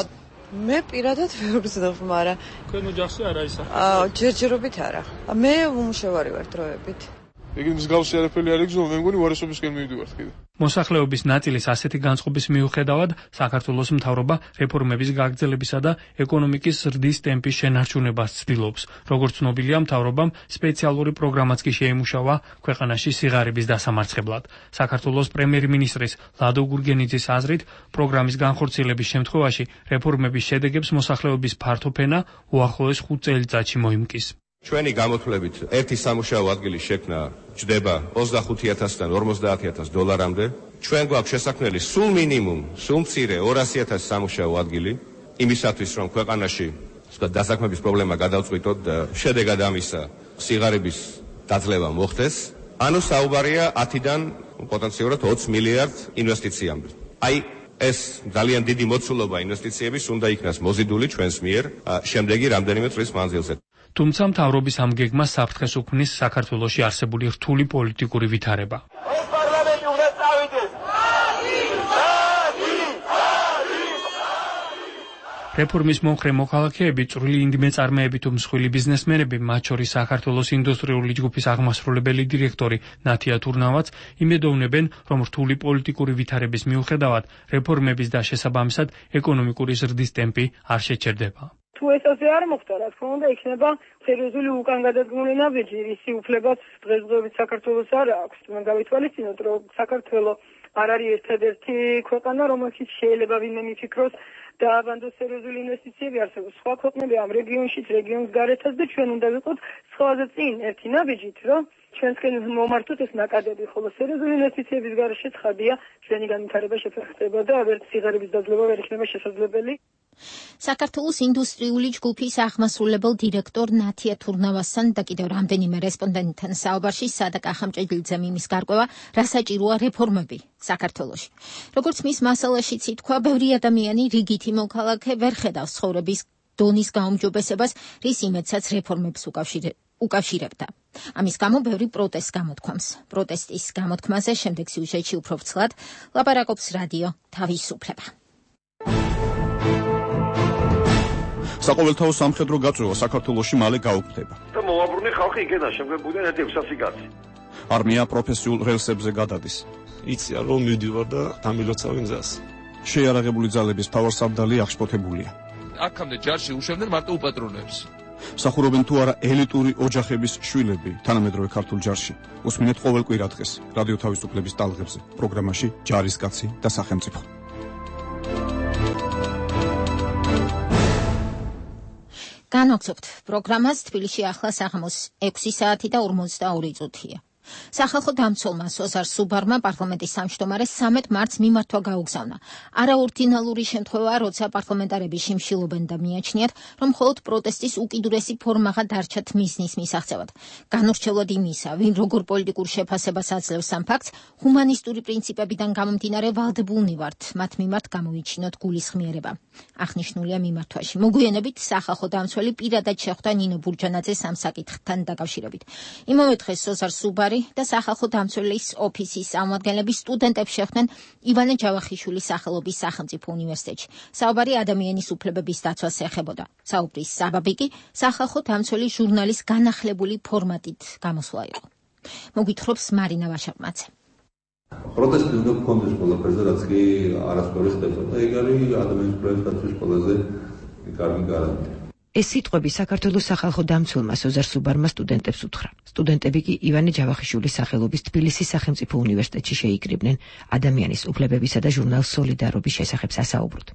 მე პირადად ვერ ვგზნობ, მაგრამ თქვენ ოჯახში არ არის ახლა? აა, ჯერჯერობით არა. მე უმუშევარი ვარ დროებით. ეგ მსგავსი არაფერი არ იგზნო, მე მგონი უარესობისკენ მივდივართ კიდე. მოსახლეობის ნაწილის ასეთი განწყობის მიუხედავად, საქართველოს მთავრობა რეფორმების გაგრძელებისა და ეკონომიკის ზრდის ტემპის შენარჩუნებას ცდილობს. როგორც ცნობილია, მთავრობამ სპეციალური პროგრამაც კი შეიმუშავა ქვეყანაში სიღარიბის დასამარცხებლად. საქართველოს პრემიერ-მინისტრის ლადო გურგენიძის აზრით, პროგრამის განხორციელების შემთხვევაში რეფორმების შედეგებს მოსახლეობის ფართო ფენა უახლოეს ხუთ წელიწადში მოიმკის. ჩვენი გამოთვლებით ერთი სამუშაო ადგილის შექმნა ჯდება ოცდახუთი ათასიდან ორმოცდაათი ათას დოლარამდე. ჩვენ გვაქვს შესაქმნელი სულ მინიმუმ, სულ მცირე ორასი ათასი სამუშაო ადგილი, იმისათვის რომ ქვეყანაში დასაქმების პრობლემა გადავწყვიტოთ და შედეგად ამისა სიღარიბის დაძლევა მოხდეს. ანუ საუბარია ათიდან პოტენციურად ოცი მილიარდ ინვესტიციამდე. აი ეს ძალიან დიდი მოცულობა ინვესტიციების უნდა იქნას მოზიდული ჩვენს მიერ შემდეგი რამდენიმე წლის მანძილზე. თუმცა მთავრობის ამ გეგმას საფრთხეს უქმნის საქართველოში არსებული რთული პოლიტიკური ვითარება. რეფორმის მომხრე მოქალაქეები, წვრილი ინდიმეწარმეები თუ მსხვილი ბიზნესმენები, მათ შორის საქართველოს ინდუსტრიული ჯგუფის აღმასრულებელი დირექტორი ნათია თურნავაც იმედოვნებენ, რომ რთული პოლიტიკური ვითარების მიუხედავად რეფორმების და შესაბამისად ეკონომიკური ზრდის ტემპი არ შეჩერდება. თუ ეს ასე არ მოხდა, რა თქმა უნდა, იქნება სერიოზული უკან გადადგმული ნაბიჯი, ისი უფლებაც დღესდღეობით საქართველოს არ აქვს. მე გავითვალისწინოთ, რომ საქართველო არ არის ერთადერთი ქვეყანა, რომელშიც შეიძლება ვინმე მიფიქროს დააბანდოს სერიოზული ინვესტიციები არსებობს. სხვა ქვეყნები ამ რეგიონშიც, რეგიონს გარეთაც და ჩვენ უნდა ვიყოთ სხვაზე წინ ერთი ნაბიჯით, რომ ჩვენსკენ მომართოთ ეს ნაკადები, ხოლო სერიოზული ინვესტიციების გარეშე ცხადია ჩვენი განვითარება შეფერხდება და ვერც სიღარიბის დაძლევა ვერ იქნება შესაძლებელი. საქართველოს ინდუსტრიული ჯგუფის აღმასრულებელ დირექტორ ნათია თურნავასთან და კიდევ რამდენიმე რესპონდენტთან საუბარში სადაკ ახამჭედლიძემ იმის გარკვევა, რა საჭიროა რეფორმები საქართველოში. როგორც მის მასალაშიც ითქვა, ბევრი ადამიანი რიგითი მოქალაქე ვერ ხედავს ცხოვრების დონის გაუმჯობესებას, რის იმედსაც რეფორმებს უკავშირებდა. ამის გამო ბევრი პროტესტს გამოთქვამს. პროტესტის გამოთქმაზე შემდეგ სიუჟეტში უფრო ვრცლად ლაპარაკობს რადიო თავისუფლება. საყოველთაო სამხედრო გაწვევა საქართველოში მალე გაუქმდება. და მოვაბრუნე ხალხი იქიდან შემგებულიდან ერთი ექვსასი კაცი. არმია პროფესიულ რელსებზე გადადის. იციან რომ მივდივარ და დამილოცავენ გზას. შეიარაღებული ძალების მთავარსარდალი აღშფოთებულია. აქამდე ჯარში უშვებდნენ მარტო უპატრონებს. სახურობენ თუ არა ელიტური ოჯახების შვილები თანამედროვე ქართულ ჯარში. უსმინეთ ყოველ კვირა დღეს რადიო თავისუფლების ტალღებზე პროგრამაში ჯარისკაცი და სახელმწიფო. განვაგრძობთ პროგრამას. თბილისში ახლა საღამოს ექვსი საათი და ორმოცდაორი წუთია. სახალხო დამცველმა სოზარ სუბარმა პარლამენტის სამშტომარეს სამედ მარტს მიმართვა გაუგზავნა. არაორდინალური შემთხვევაა, როცა პარლამენტარები შიმშილობენ და მიაჩნიათ, რომ მხოლოდ პროტესტის უკიდურესი ფორმაა დარჩათ მიზნის მისაღწევად. განურჩევლად იმისა, ვინ როგორ პოლიტიკურ შეფასებას აძლევს ამ ფაქტს, ჰუმანისტური პრინციპებიდან გამომდინარე ვალდებულნი ვართ მათ მიმართ გამოვიჩინოთ გულისხმიერება. აღნიშნულია მიმართვაში. მოგვიანებით სახალხო დამცველი პირადად შეხვდა ნინო ბურჯანაძეს ამ საკითხთან დაკავშირებით. იმავე დღეს სოზარ სუბარი და სახალხო დამცველის ოფისის წარმომადგენლები სტუდენტებს შეხვდნენ ივანე ჯავახიშვილის სახელობის სახელმწიფო უნივერსიტეტში. საუბარი ადამიანის უფლებების დაცვას ეხებოდა. საუბრის საბაბი კი სახალხო დამცველის ჟურნალის განახლებული ფორმატით გამოსვლა იყო. მოგვითხრობს მარინა ვაშაკმაძე. პროტესტი უნდა გქონდეს ყველაფერზე, რაც კი არასწორი ხდება და ეგ არის ადამიანის უფლებების დაცვის ყველაზე კარგი გარანტია. ეს სიტყვები საქართველოს სახალხო დამცველმა სოზარ სუბარმა სტუდენტებს უთხრა. სტუდენტები კი ივანე ჯავახიშვილის სახელობის თბილისის სახელმწიფო უნივერსიტეტში შეიკრიბნენ ადამიანის უფლებებისა და ჟურნალ სოლიდარობის შესახებ სასაუბროდ.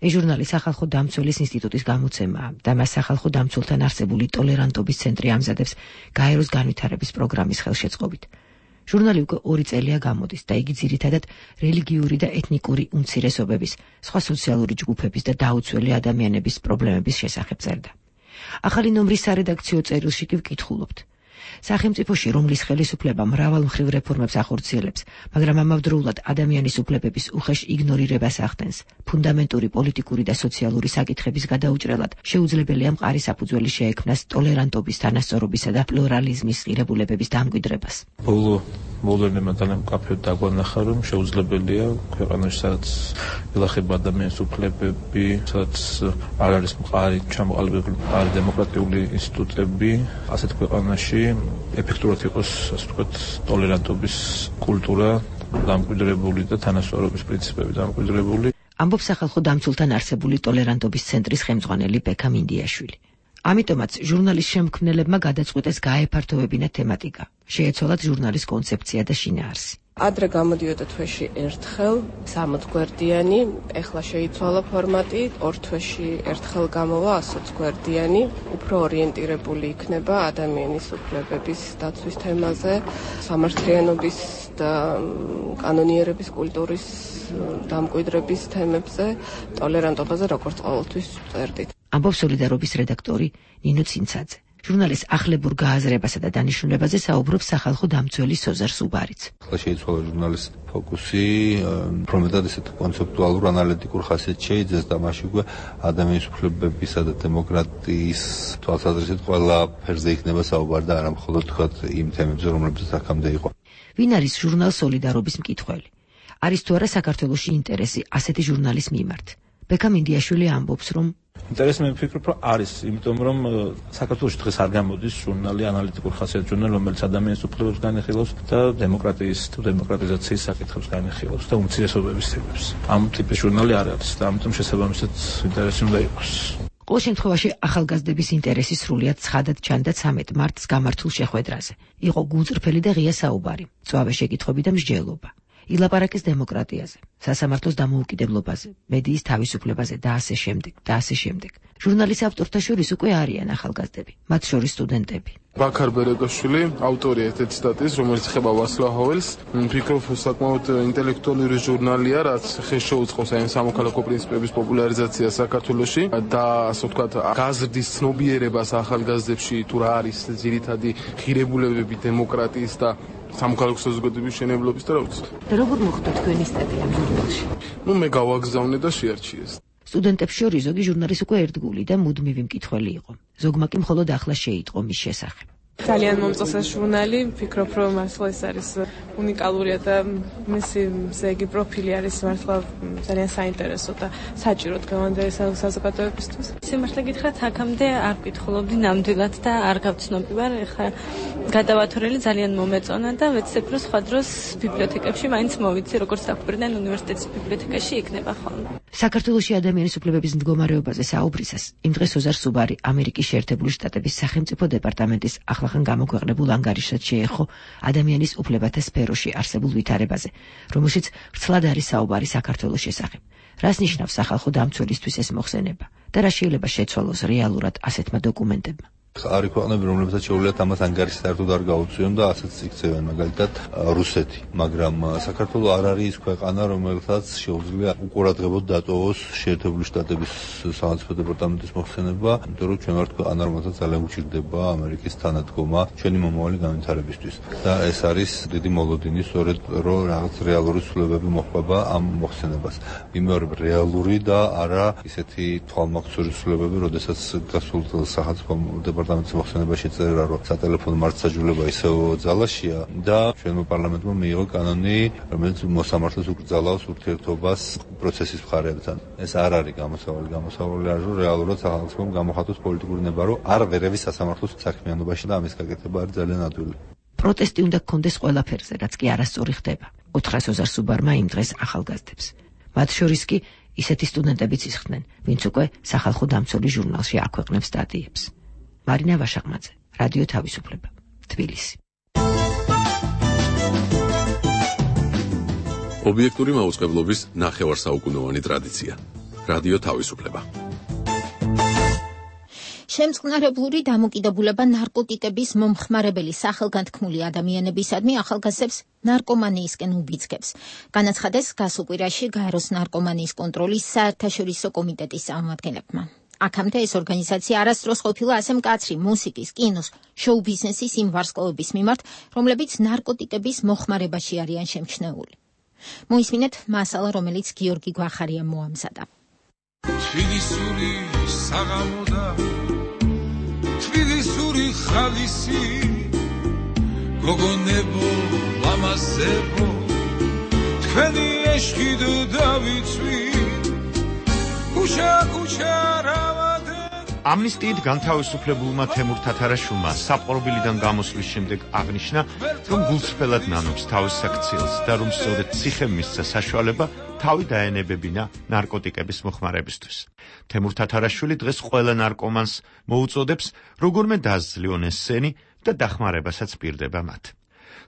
ეს ჟურნალი სახალხო დამცველის ინსტიტუტის გამოცემაა და მას სახალხო დამცველთან არსებული ტოლერანტობის ცენტრი ამზადებს გაეროს განვითარების პროგრამის ხელშეწყობით. ჟურნალი უკვე ორი წელია გამოდის და იგი ძირითადად რელიგიური და ეთნიკური უმცირესობების, სხვა სოციალური ჯგუფების და დაუცველი ადამიანების პრობლემების შესახებ წერდა. ახალი ნომრის სარედაქციო წერილში კი ვკითხულობთ. სახელმწიფოში, რომლის ხელისუფლება მრავალ მხრივ რეფორმებს ახორციელებს, მაგრამ ამავდროულად ადამიანის უფლებების უხეშ იგნორირებას ახდენს, ფუნდამენტური პოლიტიკური და სოციალური საკითხების გადაუჭრელად შეუძლებელია მყარი საფუძველი შეექმნას ტოლერანტობის, თანასწორობისა და პლურალიზმის ღირებულებების დამკვიდრებას. ბოლო მოვლენებმა ძალიან მკაფიოდ დაგვანახა, რომ შეუძლებელია ქვეყანაში, სადაც ელახება ადამიანის უფლებები, სადაც არ არის მყარი ჩამოყალიბებული მყარი დემოკრატიული ინსტიტუტები, ასეთ ქვეყანაში ეფექტურად იყოს, ასე ვთქვათ, ტოლერანტობის კულტურა დამკვიდრებული და თანასწორობის პრინციპები დამკვიდრებული. ამბობს სახალხო დამცველთან არსებული ტოლერანტობის ცენტრის ხელმძღვანელი ბექა მინდიაშვილი. ამიტომაც ჟურნალის შემქმნელებმა გადაწყვიტეს გაეფართოვებინათ თემატიკა. შეეცვალათ ჟურნალის კონცეფცია და შინაარსი. ადრე გამოდიოდა თვეში ერთხელ სამოც გვერდიანი, ეხლა შეიცვალა ფორმატი, ორ თვეში ერთხელ გამოვა ასოც გვერდიანი, უფრო ორიენტირებული იქნება ადამიანის უფლებების დაცვის თემაზე, სამართლიანობის და კანონიერების კულტურის დამკვიდრების თემებზე, ტოლერანტობაზე, როგორც ყოველთვის წერდით. ამბობს სოლიდარობის რედაქტორი ნინო ცინცაძე. ჟურნალის ახლებურ გააზრებასა და დანიშნულებაზე საუბრობს სახალხო დამცველი სოზარ სუბარიც. ახლა შეიცვალა ჟურნალის ფოკუსი, პრომეტად ისეთ კონცეპტუალურ ანალიტიკურ ხასიათს შეიძენს და მასში უკვე ადამიანის უფლებებისა და დემოკრატიის თვალსაზრისით ყველა ფერზე იქნება საუბარი და არა მხოლოდ თქვათ იმ თემებზე, რომლებზეც აქამდე იყო. ვინ არის ჟურნალ სოლიდარობის მკითხველი? არის თუ არა საქართველოში ინტერესი ასეთი ჟურნალის მიმართ? ბექა მინდიაშვილი ამბობს, რომ ინტერესი მე ვფიქრობ, რომ არის, იმიტომ რომ საქართველოში დღეს არ გამოდის ჟურნალი, ანალიტიკურ ხასიათის ჟურნალი, რომელიც ადამიანის უფლებებს განეხილავს და დემოკრატიის თუ დემოკრატიზაციის საკითხებს განეხილავს და უმცირესობების თემებს. ამ ტიპის ჟურნალი არ არის და ამიტომ შესაბამისად ინტერესი უნდა იყოს. ყოველ შემთხვევაში ახალგაზრდების ინტერესი სრულიად ცხადად ჩანდა ცამეტ მარტს გამართულ შეხვედრაზე. იყო გულწრფელი და ღია საუბარი, მწვავე შეკითხვები და მსჯელობა. ილაპარაკეს დემოკრატიაზე, სასამართლოს დამოუკიდებლობაზე, მედიის თავისუფლებაზე და ასე შემდეგ და ასე შემდეგ. ჟურნალის ავტორთა შორის უკვე არიან ახალგაზრდები, მათ შორის სტუდენტები. ბაქარ ბერეკაშვილი, ავტორია ერთ-ერთი სტატიის, რომელიც ეხება ვასლავ ჰაველს. ვფიქრობ, საკმაოდ ინტელექტუალური ჟურნალია, რაც ხეს შეუწყობს აი სამოქალაქო პრინციპების პოპულარიზაციას საქართველოში და ასე ვთქვათ, გაზრდის ცნობიერებას ახალგაზრდებში თუ რა არის ძირითადი ღირებულებები დემოკრატიის და სამოქალაქო საზოგადოების მშენებლობის და რა ვიცი. როგორ მოხდა თქვენი სტატია ამ ჟურნალში? ნუ მე გავაგზავნე და შეარჩიეს. სტუდენტებს შორის ზოგი ჟურნალის უკვე ერთგული და მუდმივი მკითხველი იყო. ზოგმა კი მხოლოდ ახლა შეიტყო მის შესახებ. ძალიან მომწონს ეს ჟურნალი, ვფიქრობ, რომ მართლა ეს არის უნიკალურია და მისი ზეგი პროფილი არის მართლა ძალიან საინტერესო და საჭირო დღევანდელი საზოგადოებისთვის. სიმართლე გითხრათ, აქამდე არ ვკითხულობდი ნამდვილად და არ გავცნობი ვარ, ეხლა გადავათორელი ძალიან მომეწონა და ვეცდებ, რომ სხვა დროს ბიბლიოთეკებში მაინც მოვიცი, როგორც დაგვირდნენ უნივერსიტეტის ბიბლიოთეკაში იქნება ხოლმე. საქართველოში ადამიანის უფლებების მდგომარეობაზე საუბრისას იმ დღეს ოზარ სუბარი ამერიკის შეერთებული შტატების სახელმწიფო დეპარტამენტის ახლახან გამოქვეყნებულ ანგარიშად შეეხო ადამიანის უფლებათა სფეროში არსებულ ვითარებაზე, რომელშიც ვრცლად არის საუბარი საქართველოს შესახებ. რას ნიშნავს სახალხო დამცველისთვის ეს მოხსენება და რა შეიძლება შეცვალოს რეალურად ასეთმა დოკუმენტებმა? არის ქვეყნები, რომლებსაც შეუძლიათ ამას ანგარიში საერთოდ არ გაუწიონ და ასეც იქცევენ, მაგალითად რუსეთი, მაგრამ საქართველო არ არის ის ქვეყანა, რომელსაც შეუძლია უყურადღებოდ დატოვოს შეერთებული შტატების სახელმწიფო დეპარტამენტის მოხსენება, იმიტომ რომ ჩვენ ვართ ქვეყანა, რომელსაც ძალიან უჭირდება ამერიკის თანადგომა ჩვენი მომავალი განვითარებისთვის. და ეს არის დიდი მოლოდინი, სწორედ რომ რაღაც რეალური ცვლილებები მოხდება ამ მოხსენებას. ვიმეორებ რეალური და არა ისეთი თვალმაგცური ცვლილებები, როდესაც გასულ წელს სახელმწიფო დეპარტამენტის მოხსენება შეწერა, რომ სატელეფონო მართლმსაჯულება ისევ ძალაშია და ჩვენმა პარლამენტმა მიიღო კანონი, რომელიც მოსამართლეს უკრძალავს ურთიერთობას პროცესის მხარეებთან. ეს არ არის გამოსავალი, გამოსავალი არის, რომ რეალურად სახელმწიფომ გამოხატოს პოლიტიკური ნება, რომ არ ვერევის სასამართლოს საქმიანობაში და ამის გაკეთება არის ძალიან ადვილი. პროტესტი უნდა გქონდეს ყველაფერზე, რაც კი არასწორი ხდება. უთხრა სოზარ სუბარმა იმ დღეს ახალგაზრდებს. მათ შორის კი ისეთი სტუდენტებიც ისხდნენ, ვინც უკვე სახალხო დამცველი ჟურნალში აქვეყნებს სტატიებს. მარინა ვაშაყმაძე, რადიო თავისუფლება, თბილისი. ობიექტური მაუწყებლობის ნახევარსაუკუნოვანი ტრადიცია. რადიო თავისუფლება. შემწყნარებლური დამოკიდებულება ნარკოტიკების მომხმარებელი სახელგანთქმული ადამიანებისადმი ახალგაზრდებს ნარკომანიისკენ უბიძგებს. განაცხადეს გასულ კვირაში გაეროს ნარკომანიის კონტროლის საერთაშორისო კომიტეტის წარმომადგენლებმა. აქამდე ეს ორგანიზაცია არასდროს ყოფილა ასე მკაცრი მუსიკის, კინოს, შოუ ბიზნესის იმ ვარსკვლავების მიმართ, რომლებიც ნარკოტიკების მოხმარებაში არიან შემჩნეული. მოისმინეთ მასალა, რომელიც გიორგი გვახარიამ მოამზადა. თბილისური საღამოდა თბილისური ხალისი გოგონებო ლამაზებო თქვენი ეშხიდ დავიცვი ქუჩა ქუჩა რავადე ამნისტიით განთავისუფლებულმა თემურ თათარაშვილმა საპყრობილიდან გამოსვლის შემდეგ აღნიშნა, რომ გულწრფელად ნანობს თავის საქციელს და რომ სწორედ ციხემ მისცა საშუალება თავი დაენებებინა ნარკოტიკების მოხმარებისთვის. თემურ თათარაშვილი დღეს ყველა ნარკომანს მოუწოდებს როგორმე დაასძლიონ ეს სენი და დახმარებასაც პირდება მათ.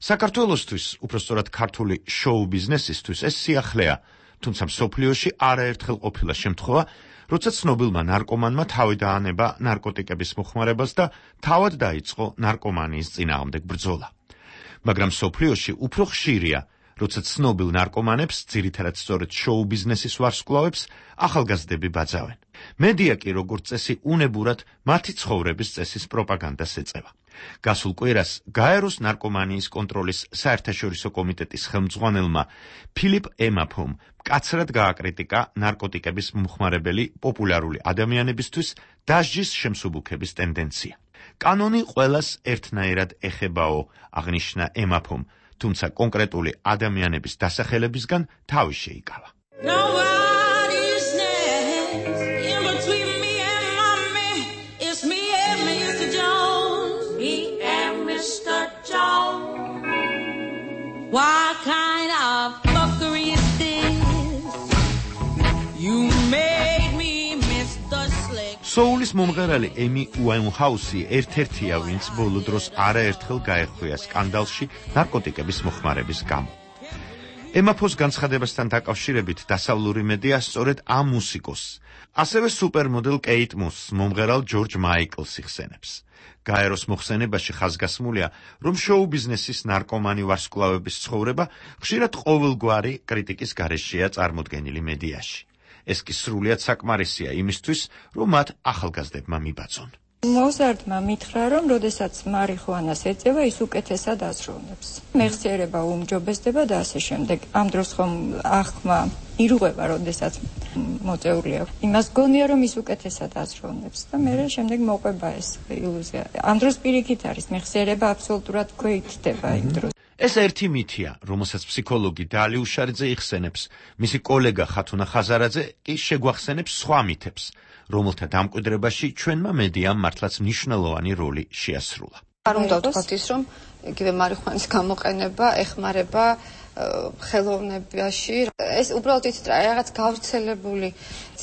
საქართველოსთვის, უпростоრად ქართული შოუ ბიზნესისთვის ეს სიახლეა, თუმცა მსოფლიოში არაერთხელ ყოფილა შემთხვევა, როცა ცნობილმა ნარკომანმა თავი დაანება ნარკოტიკების მოხმარებას და თავად დაიწყო ნარკომანიის წინააღმდეგ ბრძოლა. მაგრამ მსოფლიოში უფრო ხშირია, როცა ცნობილ ნარკომანებს, ძირითადად სწორედ შოუ ბიზნესის ვარსკვლავებს, ახალგაზრდები ბაძავენ. მედია კი როგორც წესი უნებურად მათი ცხოვრების წესის პროპაგანდას ეწევა. გასულ კვირას გაეროს ნარკომანიის კონტროლის საერთაშორისო კომიტეტის ხელმძღვანელმა ფილიპ ემაფომ მკაცრად გააკრიტიკა ნარკოტიკების მომხმარებელი პოპულარული ადამიანებისთვის დასჯის შემსუბუქების ტენდენცია. კანონი ყველას ერთნაირად ეხებაო, აღნიშნა ემაფომ, თუმცა კონკრეტული ადამიანების დასახელებისგან თავი შეიკავა. What kind of fuckery is this? You made me miss the slick. Soulis მომღერალი ემი უაინჰაუსი ერთ-ერთია, ვინც ბოლო დროს არაერთხელ გაეხვია სკანდალში ნარკოტიკების მოხმარების გამო. ემაფოს განცხადებასთან დაკავშირებით დასავლური მედია სწორედ ამ მუსიკოს, ასევე სუპერმოდელ კეით მოსს, მომღერალ ჯორჯ მაიკლს იხსენებს. გაეროს მოხსენებაში ხაზგასმულია, რომ შოუ ბიზნესის ნარკომანი ვარსკვლავების ცხოვრება ხშირად ყოველგვარი კრიტიკის გარეშეა წარმოდგენილი მედიაში. ეს კი სრულიად საკმარისია იმისთვის, რომ მათ ახალგაზრდებმა მიბაძონ. მოზარდმა მითხრა, რომ როდესაც მარიხუანას ეწევა, ის უკეთესად აზროვნებს. მეხსიერება უმჯობესდება და ასე შემდეგ. ამ დროს ხომ ახმა ირღვევა, როდესაც მოწეულია. იმას გონია, რომ ის უკეთესად აზროვნებს და მე შემდეგ მოყვება ეს ილუზია. ამ დროს პირიქით არის, მეხსიერება აბსოლუტურად გვეითდება იმ დროს. ეს ერთი მითია, რომელსაც ფსიქოლოგი დალი უშარიძე იხსენებს, მისი კოლეგა ხათუნა ხაზარაძე კი შეგვახსენებს სხვა მითებს, რომელთა დამკვიდრებაში ჩვენმა მედიამ მართლაც მნიშვნელოვანი როლი შეასრულა. არ უნდა ვთქვათ ის, რომ იგივე მარიხუანის გამოყენება ეხმარება ხელოვნებაში. ეს უბრალოდ იცით რა, რაღაც გავრცელებული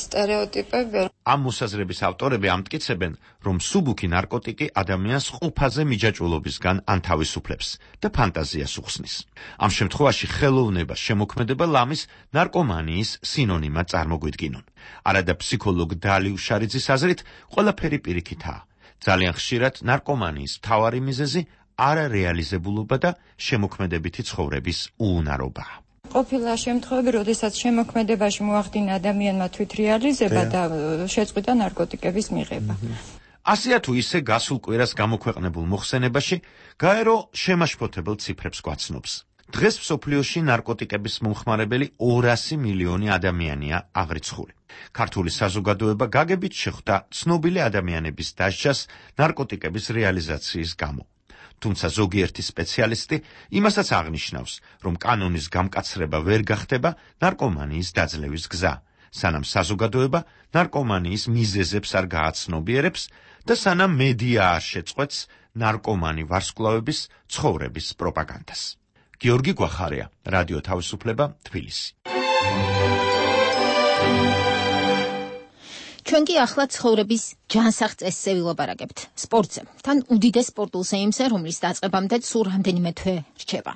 სტერეოტიპები. ამ მოსაზრების ავტორები ამტკიცებენ, რომ სუბუქი ნარკოტიკი ადამიანს ყუფაზე მიჯაჭვულობისგან ანთავისუფლებს და ფანტაზიას უხსნის. ამ შემთხვევაში ხელოვნება, შემოქმედება ლამის ნარკომანიის სინონიმად წარმოგვიდგინონ. არადა ფსიქოლოგ დალი უშარიძის აზრით, ყველაფერი პირიქითაა. ძალიან ხშირად ნარკომანიის მთავარი მიზეზი არარეალიზებულობა და შემოქმედებითი ცხოვრების უუნარობაა. ყოფილა შემთხვევები, როდესაც შემოქმედებაში მოახდინა ადამიანმა თვითრეალიზება და შეწყვიტა ნარკოტიკების მიღება. ასეა თუ ისე გასულ კვირას გამოქვეყნებულ მოხსენებაში გაერო შემაშფოთებელ ციფრებს გვაცნობს. დღეს მსოფლიოში ნარკოტიკების მომხმარებელი ორასი მილიონი ადამიანია აღრიცხული. ქართული საზოგადოება გაგებით შეხვდა ცნობილი ადამიანების დასჯას ნარკოტიკების რეალიზაციის გამო. თუმცა ზოგიერთი სპეციალისტი იმასაც აღნიშნავს, რომ კანონის გამკაცრება ვერ გახდება ნარკომანიის დაძლევის გზა, სანამ საზოგადოება ნარკომანიის მიზეზებს არ გააცნობიერებს და სანამ მედია არ შეწყვეტს ნარკომანი ვარსკვლავების ცხოვრების პროპაგანდას. გიორგი გვახარია, რადიო თავისუფლება, თბილისი. ჩვენ კი ახლა ცხოვრების ჯანსაღ წესზე ვილაპარაკებთ სპორტზე. თან უდიდეს სპორტულ ზეიმზე, რომლის დაწყებამდე სულ რამდენიმე თვე რჩება.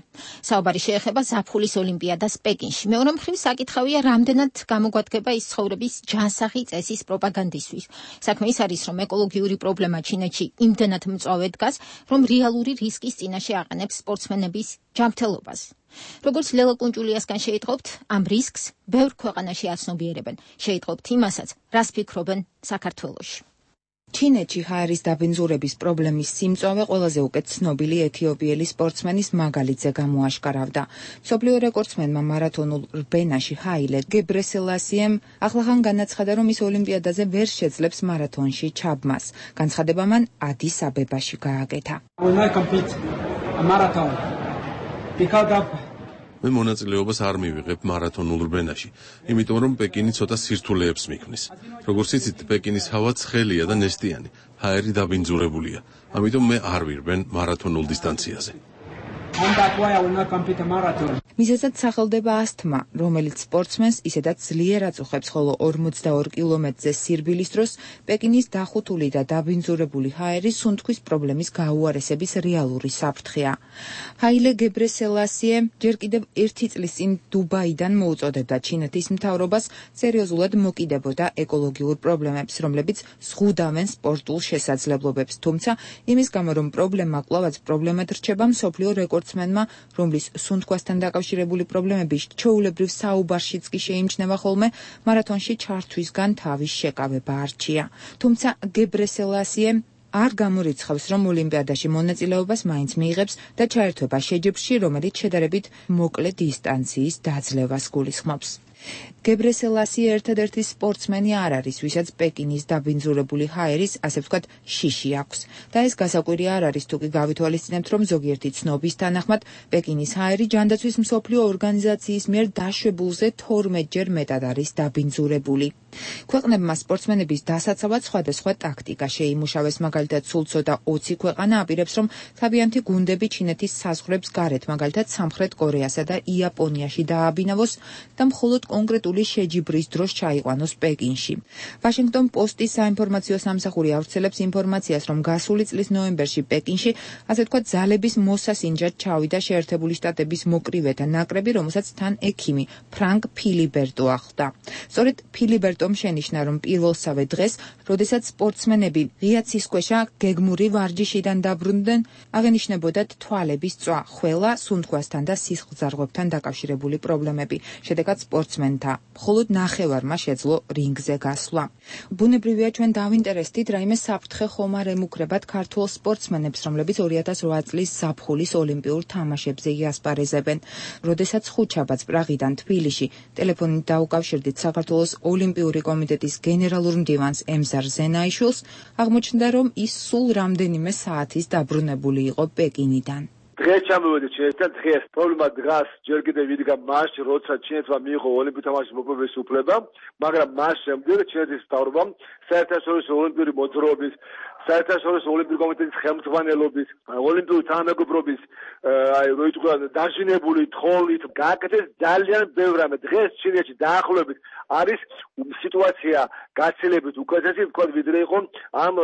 საუბარი შეეხება ზაფხულის ოლიმპიადას პეკინში. მეორე მხრივ საკითხავია, რამდენად გამოგვადგება ის ცხოვრების ჯანსაღი წესის პროპაგანდისთვის. საქმე ის არის, რომ ეკოლოგიური პრობლემა ჩინეთში იმდენად მწვავე დგას, რომ რეალური რისკის წინაშე აყენებს სპორტსმენების ჯანმრთელობას. როგორც ლელა კუნჭულიასგან შეიტყობთ, ამ რისკს ბევრ ქვეყანაში აცნობიერებენ. შეიტყობთ იმასაც, რას ფიქრობენ საქართველოში. ჩინეთში ჰაერის დაბინძურების პრობლემის სიმწვავე ყველაზე უკეთ ცნობილი ეთიოპიელი სპორტსმენის მაგალითზე გამოაშკარავდა. მსოფლიო რეკორდსმენმა მარათონულ რბენაში ჰაილე გებრესელასიემ ახლახან განაცხადა, რომ ის ოლიმპიადაზე ვერ შეძლებს მარათონში ჩაბმას. განცხადება მან ადის აბებაში გააკეთა. მე მონაწილეობას არ მივიღებ მარათონულ რბენაში, იმიტომ რომ პეკინი ცოტა სირთულეებს მიქმნის. როგორც იცით, პეკინის ჰავა ცხელია და ნესტიანი, ჰაერი დაბინძურებულია. ამიტომ მე არ ვირბენ მარათონულ დისტანციაზე. მიზეზად სახელდება ასთმა, რომელიც სპორტსმენს ისედაც ძლიერ აწუხებს, ხოლო ორმოცდაორ კილომეტრზე სირბილის დროს პეკინის დახუთული და დაბინძურებული ჰაერი სუნთქვის პრობლემის გაუარესების რეალური საფრთხეა. ჰაილე გებრესელასიე ჯერ კიდევ ერთი წლის წინ დუბაიდან მოუწოდებდა ჩინეთის მთავრობას სერიოზულად მოკიდებოდა ეკოლოგიურ პრობლემებს, რომლებიც ზღუდავენ სპორტულ შესაძლებლობებს. თუმცა იმის გამო, რომ პრობლემა კვლავაც პრობლემად რჩება, მსოფლიო რეკორდსმენმა, რომლის სუნთქვასთან დაკავშირებული პრობლემები ჩვეულებრივ საუბარშიც კი შეიმჩნევა ხოლმე, მარათონში ჩართვისგან თავის შეკავება არჩია. თუმცა გებრესელასიე არ გამორიცხავს, რომ ოლიმპიადაში მონაწილეობას მაინც მიიღებს და ჩაერთვება შეჯიბრში, რომელიც შედარებით მოკლე დისტანციის დაძლევას გულისხმობს. გებრესელასი ერთადერთი სპორტსმენი არ არის, ვისაც პეკინის დაბინძურებული ჰაერის, ასე ვთქვათ, შიში აქვს. და ეს გასაკვირი არ არის, თუ კი გავითვალისწინებთ, რომ ზოგიერთი ცნობის თანახმად პეკინის ჰაერი ჯანდაცვის მსოფლიო ორგანიზაციის მიერ დაშვებულზე თორმეტჯერ მეტად არის დაბინძურებული. ქვეყნებმა სპორტსმენების დასაცავად სხვადასხვა ტაქტიკა შეიმუშავეს, მაგალითად, სულ ცოტა ოცი ქვეყანა აპირებს, რომ თავიანთი გუნდები ჩინეთის საზღვრებს გარეთ, მაგალითად, სამხრეთ კორეასა და იაპონიაში დააბინავოს და მხოლოდ კონკრეტული შეჯიბრის დროს ჩაიყვანოს პეკინში. ვაშინგტონ პოსტის საინფორმაციო სამსახური ავრცელებს ინფორმაციას, რომ გასული წლის ნოემბერში პეკინში, ასე ვთქვათ, ძალების მოსასინჯად ჩავიდა შეერთებული შტატების მოკრივეთა ნაკრები, რომელსაც თან ექიმი ფრანკ ფილიბერტო ახლდა. სწორედ ფილიბერტომ შენიშნა, რომ პირველსავე დღეს, როდესაც სპორტსმენები ღია ცისქვეშა გეგმური ვარჯიშიდან დაბრუნდნენ, აღენიშნებოდათ თვალების წვა, ხველა, სუნთქვასთან და სისხლძარღვებთან დაკავშირებული პრობლემები. შედეგად სპორტსმენთა მხოლოდ ნახევარმა შეძლო რინგზე გასვლა. ბუნებრივია, ჩვენ დავინტერესდით, რაიმე საფრთხე ხომ არ ემუქრებათ ქართულ სპორტსმენებს, რომლებიც ორი ათას რვა წლის ზაფხულის ოლიმპიურ თამაშებზე იასპარეზებენ. როდესაც ხუთშაბათს პრაღიდან თბილისში ტელეფონით დაუკავშირდით საქართველოს ოლიმპიური კომიტეტის გენერალურ მდივანს ემზარ ზენაიშვილს, აღმოჩნდა, რომ ის სულ რამდენიმე საათის დაბრუნებული იყო პეკინიდან. დღეს ჩამოვედით ჩინეთთან, დღეს პრობლემა დგას ჯერ კიდევ ვიდგა მასში, როცა ჩინეთმა მიიღო ოლიმპიურ თამაშის მოპოვების უფლება, მაგრამ მას შემდეგ ჩინეთის მთავრობამ საერთაშორისო ოლიმპიური მოძრაობის, საერთაშორისო ოლიმპიური კომიტეტის ხელმძღვანელობის, ოლიმპიური თანამეგობრობის, აი რო იტყვა დაჟინებული თხოვნით გააკეთეს ძალიან ბევრ რამე. დღეს ჩინეთში დაახლოებით არის სიტუაცია გაცილებით უკეთესი, ვთქვათ, ვიდრე იყო ამ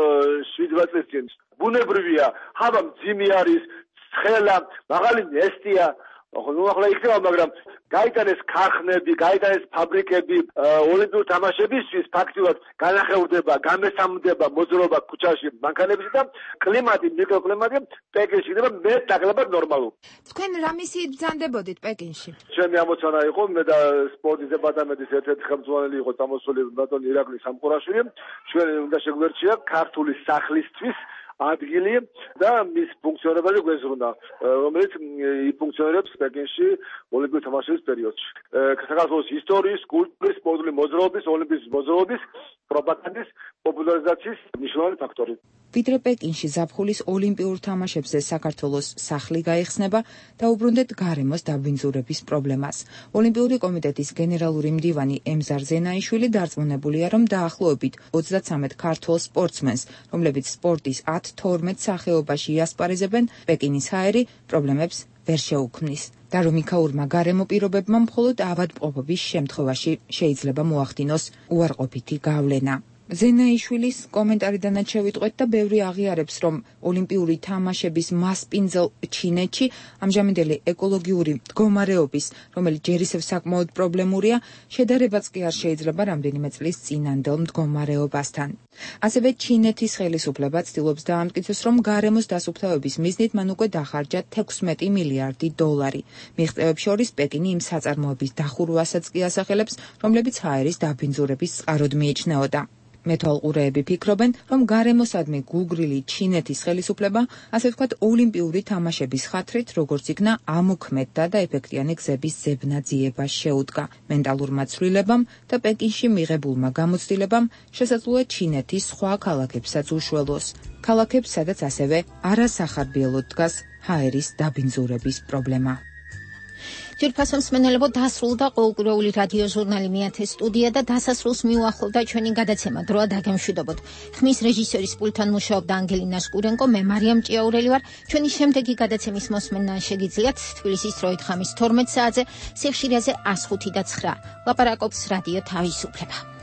შვიდ წლის წინ. ბუნებრივია, ჰავა მძიმე არის, ცხელა, მაღალი ნესტია, ნუ ახლა იქნება, მაგრამ გაიტანეს ქარხნები, გაიტანეს ფაბრიკები, ოლიმპიურ თამაშებისთვის ფაქტიურად განახევრდება, გამესამდება მოძრაობა ქუჩაში, მანქანებში და კლიმატი, მიკროკლიმატი პეკინში იქნება მეტ ნაკლებად ნორმალური. თქვენ რა მისიით ბრძანდებოდით პეკინში? ჩემი ამოცანა იყო, მე და სპორტის დეპარტამენტის ერთ-ერთი ხელმძღვანელი იყო წამოსული ბატონი ირაკლი სამყურაშვილი, ჩვენ უნდა შეგვერჩია ქართული სახლისთვის ადგილი და მის ფუნქციონირებაზე გვეზრუნდა, რომელიც იფუნქციონირებს პეკინში ოლიმპიურ თამაშების პერიოდში. საქართველოს ისტორიის, კულტურის, სპორტული მოძრაობის, ოლიმპიის მოძრაობის, პროპაგანდის პოპულარიზაციის მნიშვნელოვანი ფაქტორი. ვიდრე პეკინში ზაფხულის ოლიმპიურ თამაშებზე საქართველოს სახლი გაიხსნება, დაუბრუნდეთ გარემოს დაბინძურების პრობლემას. ოლიმპიური კომიტეტის გენერალური მდივანი ემზარ ზენაიშვილი დარწმუნებულია, რომ დაახლოებით ოცდათსამეტ ქართულ სპორტსმენს, რომლებიც სპორტის ათ თორმეტ სახეობაში იასპარეზებენ, პეკინის ჰაერი პრობლემებს ვერ შეუქმნის. და რომ იქაურმა გარემო პირობებმა მხოლოდ ავადმყოფობის შემთხვევაში შეიძლება მოახდინოს უარყოფითი გავლენა. ზენაიშვილის კომენტარიდანაც შევიტყვეთ და ბევრი აღიარებს, რომ ოლიმპიური თამაშების მასპინძელ ჩინეთში ამჟამინდელი ეკოლოგიური მდგომარეობის, რომელიც ჯერ ისევ საკმაოდ პრობლემურია, შედარებაც კი არ შეიძლება რამდენიმე წლის წინანდელ მდგომარეობასთან. ასევე ჩინეთის ხელისუფლება ცდილობს დაამტკიცოს, რომ გარემოს დასუფთავების მიზნით მან უკვე დახარჯა თექვსმეტი მილიარდი დოლარი. მიღწევებს შორის პეკინი იმ საწარმოების დახურვასაც კი ასახელებს, რომლებიც ჰაერის დაბინძურების წყაროდ მიიჩნეოდა. მეთვალყურეები ფიქრობენ, რომ გარემოსადმი გუგრილი ჩინეთის ხელისუფლება, ასე ვთქვათ, ოლიმპიური თამაშების ხათრით, როგორც იქნა ამოქმედდა და ეფექტიანი გზების ზებნაძიება შეუდგა. მენტალურმა ცვლილებამ და პეკინში მიღებულმა გამოცდილებამ შესაძლოა ჩინეთის სხვა ქალაქებსაც უშველოს. ქალაქებს, სადაც ასევე არასახარბიელოდ დგას ჰაერის დაბინძურების პრობლემა. ჯერფასო მსმენელებო, დასრულდა ყოველკვირეული რადიო ჟურნალი მეათე სტუდია და დასასრულს მიუახლოვდა ჩვენი გადაცემა. დროა დაგემშვიდობოთ. ხმის რეჟისორის პულტთან მუშაობდა ანგელინა შკურენკო, მე მარიამ ჭიაურელი ვარ. ჩვენი შემდეგი გადაცემის მოსმენა შეგიძლიათ თბილისის დროით ხამის თორმეტ საათზე, სიხშირეზე ას ხუთი და ცხრა. ლაპარაკობს რადიო თავისუფლება.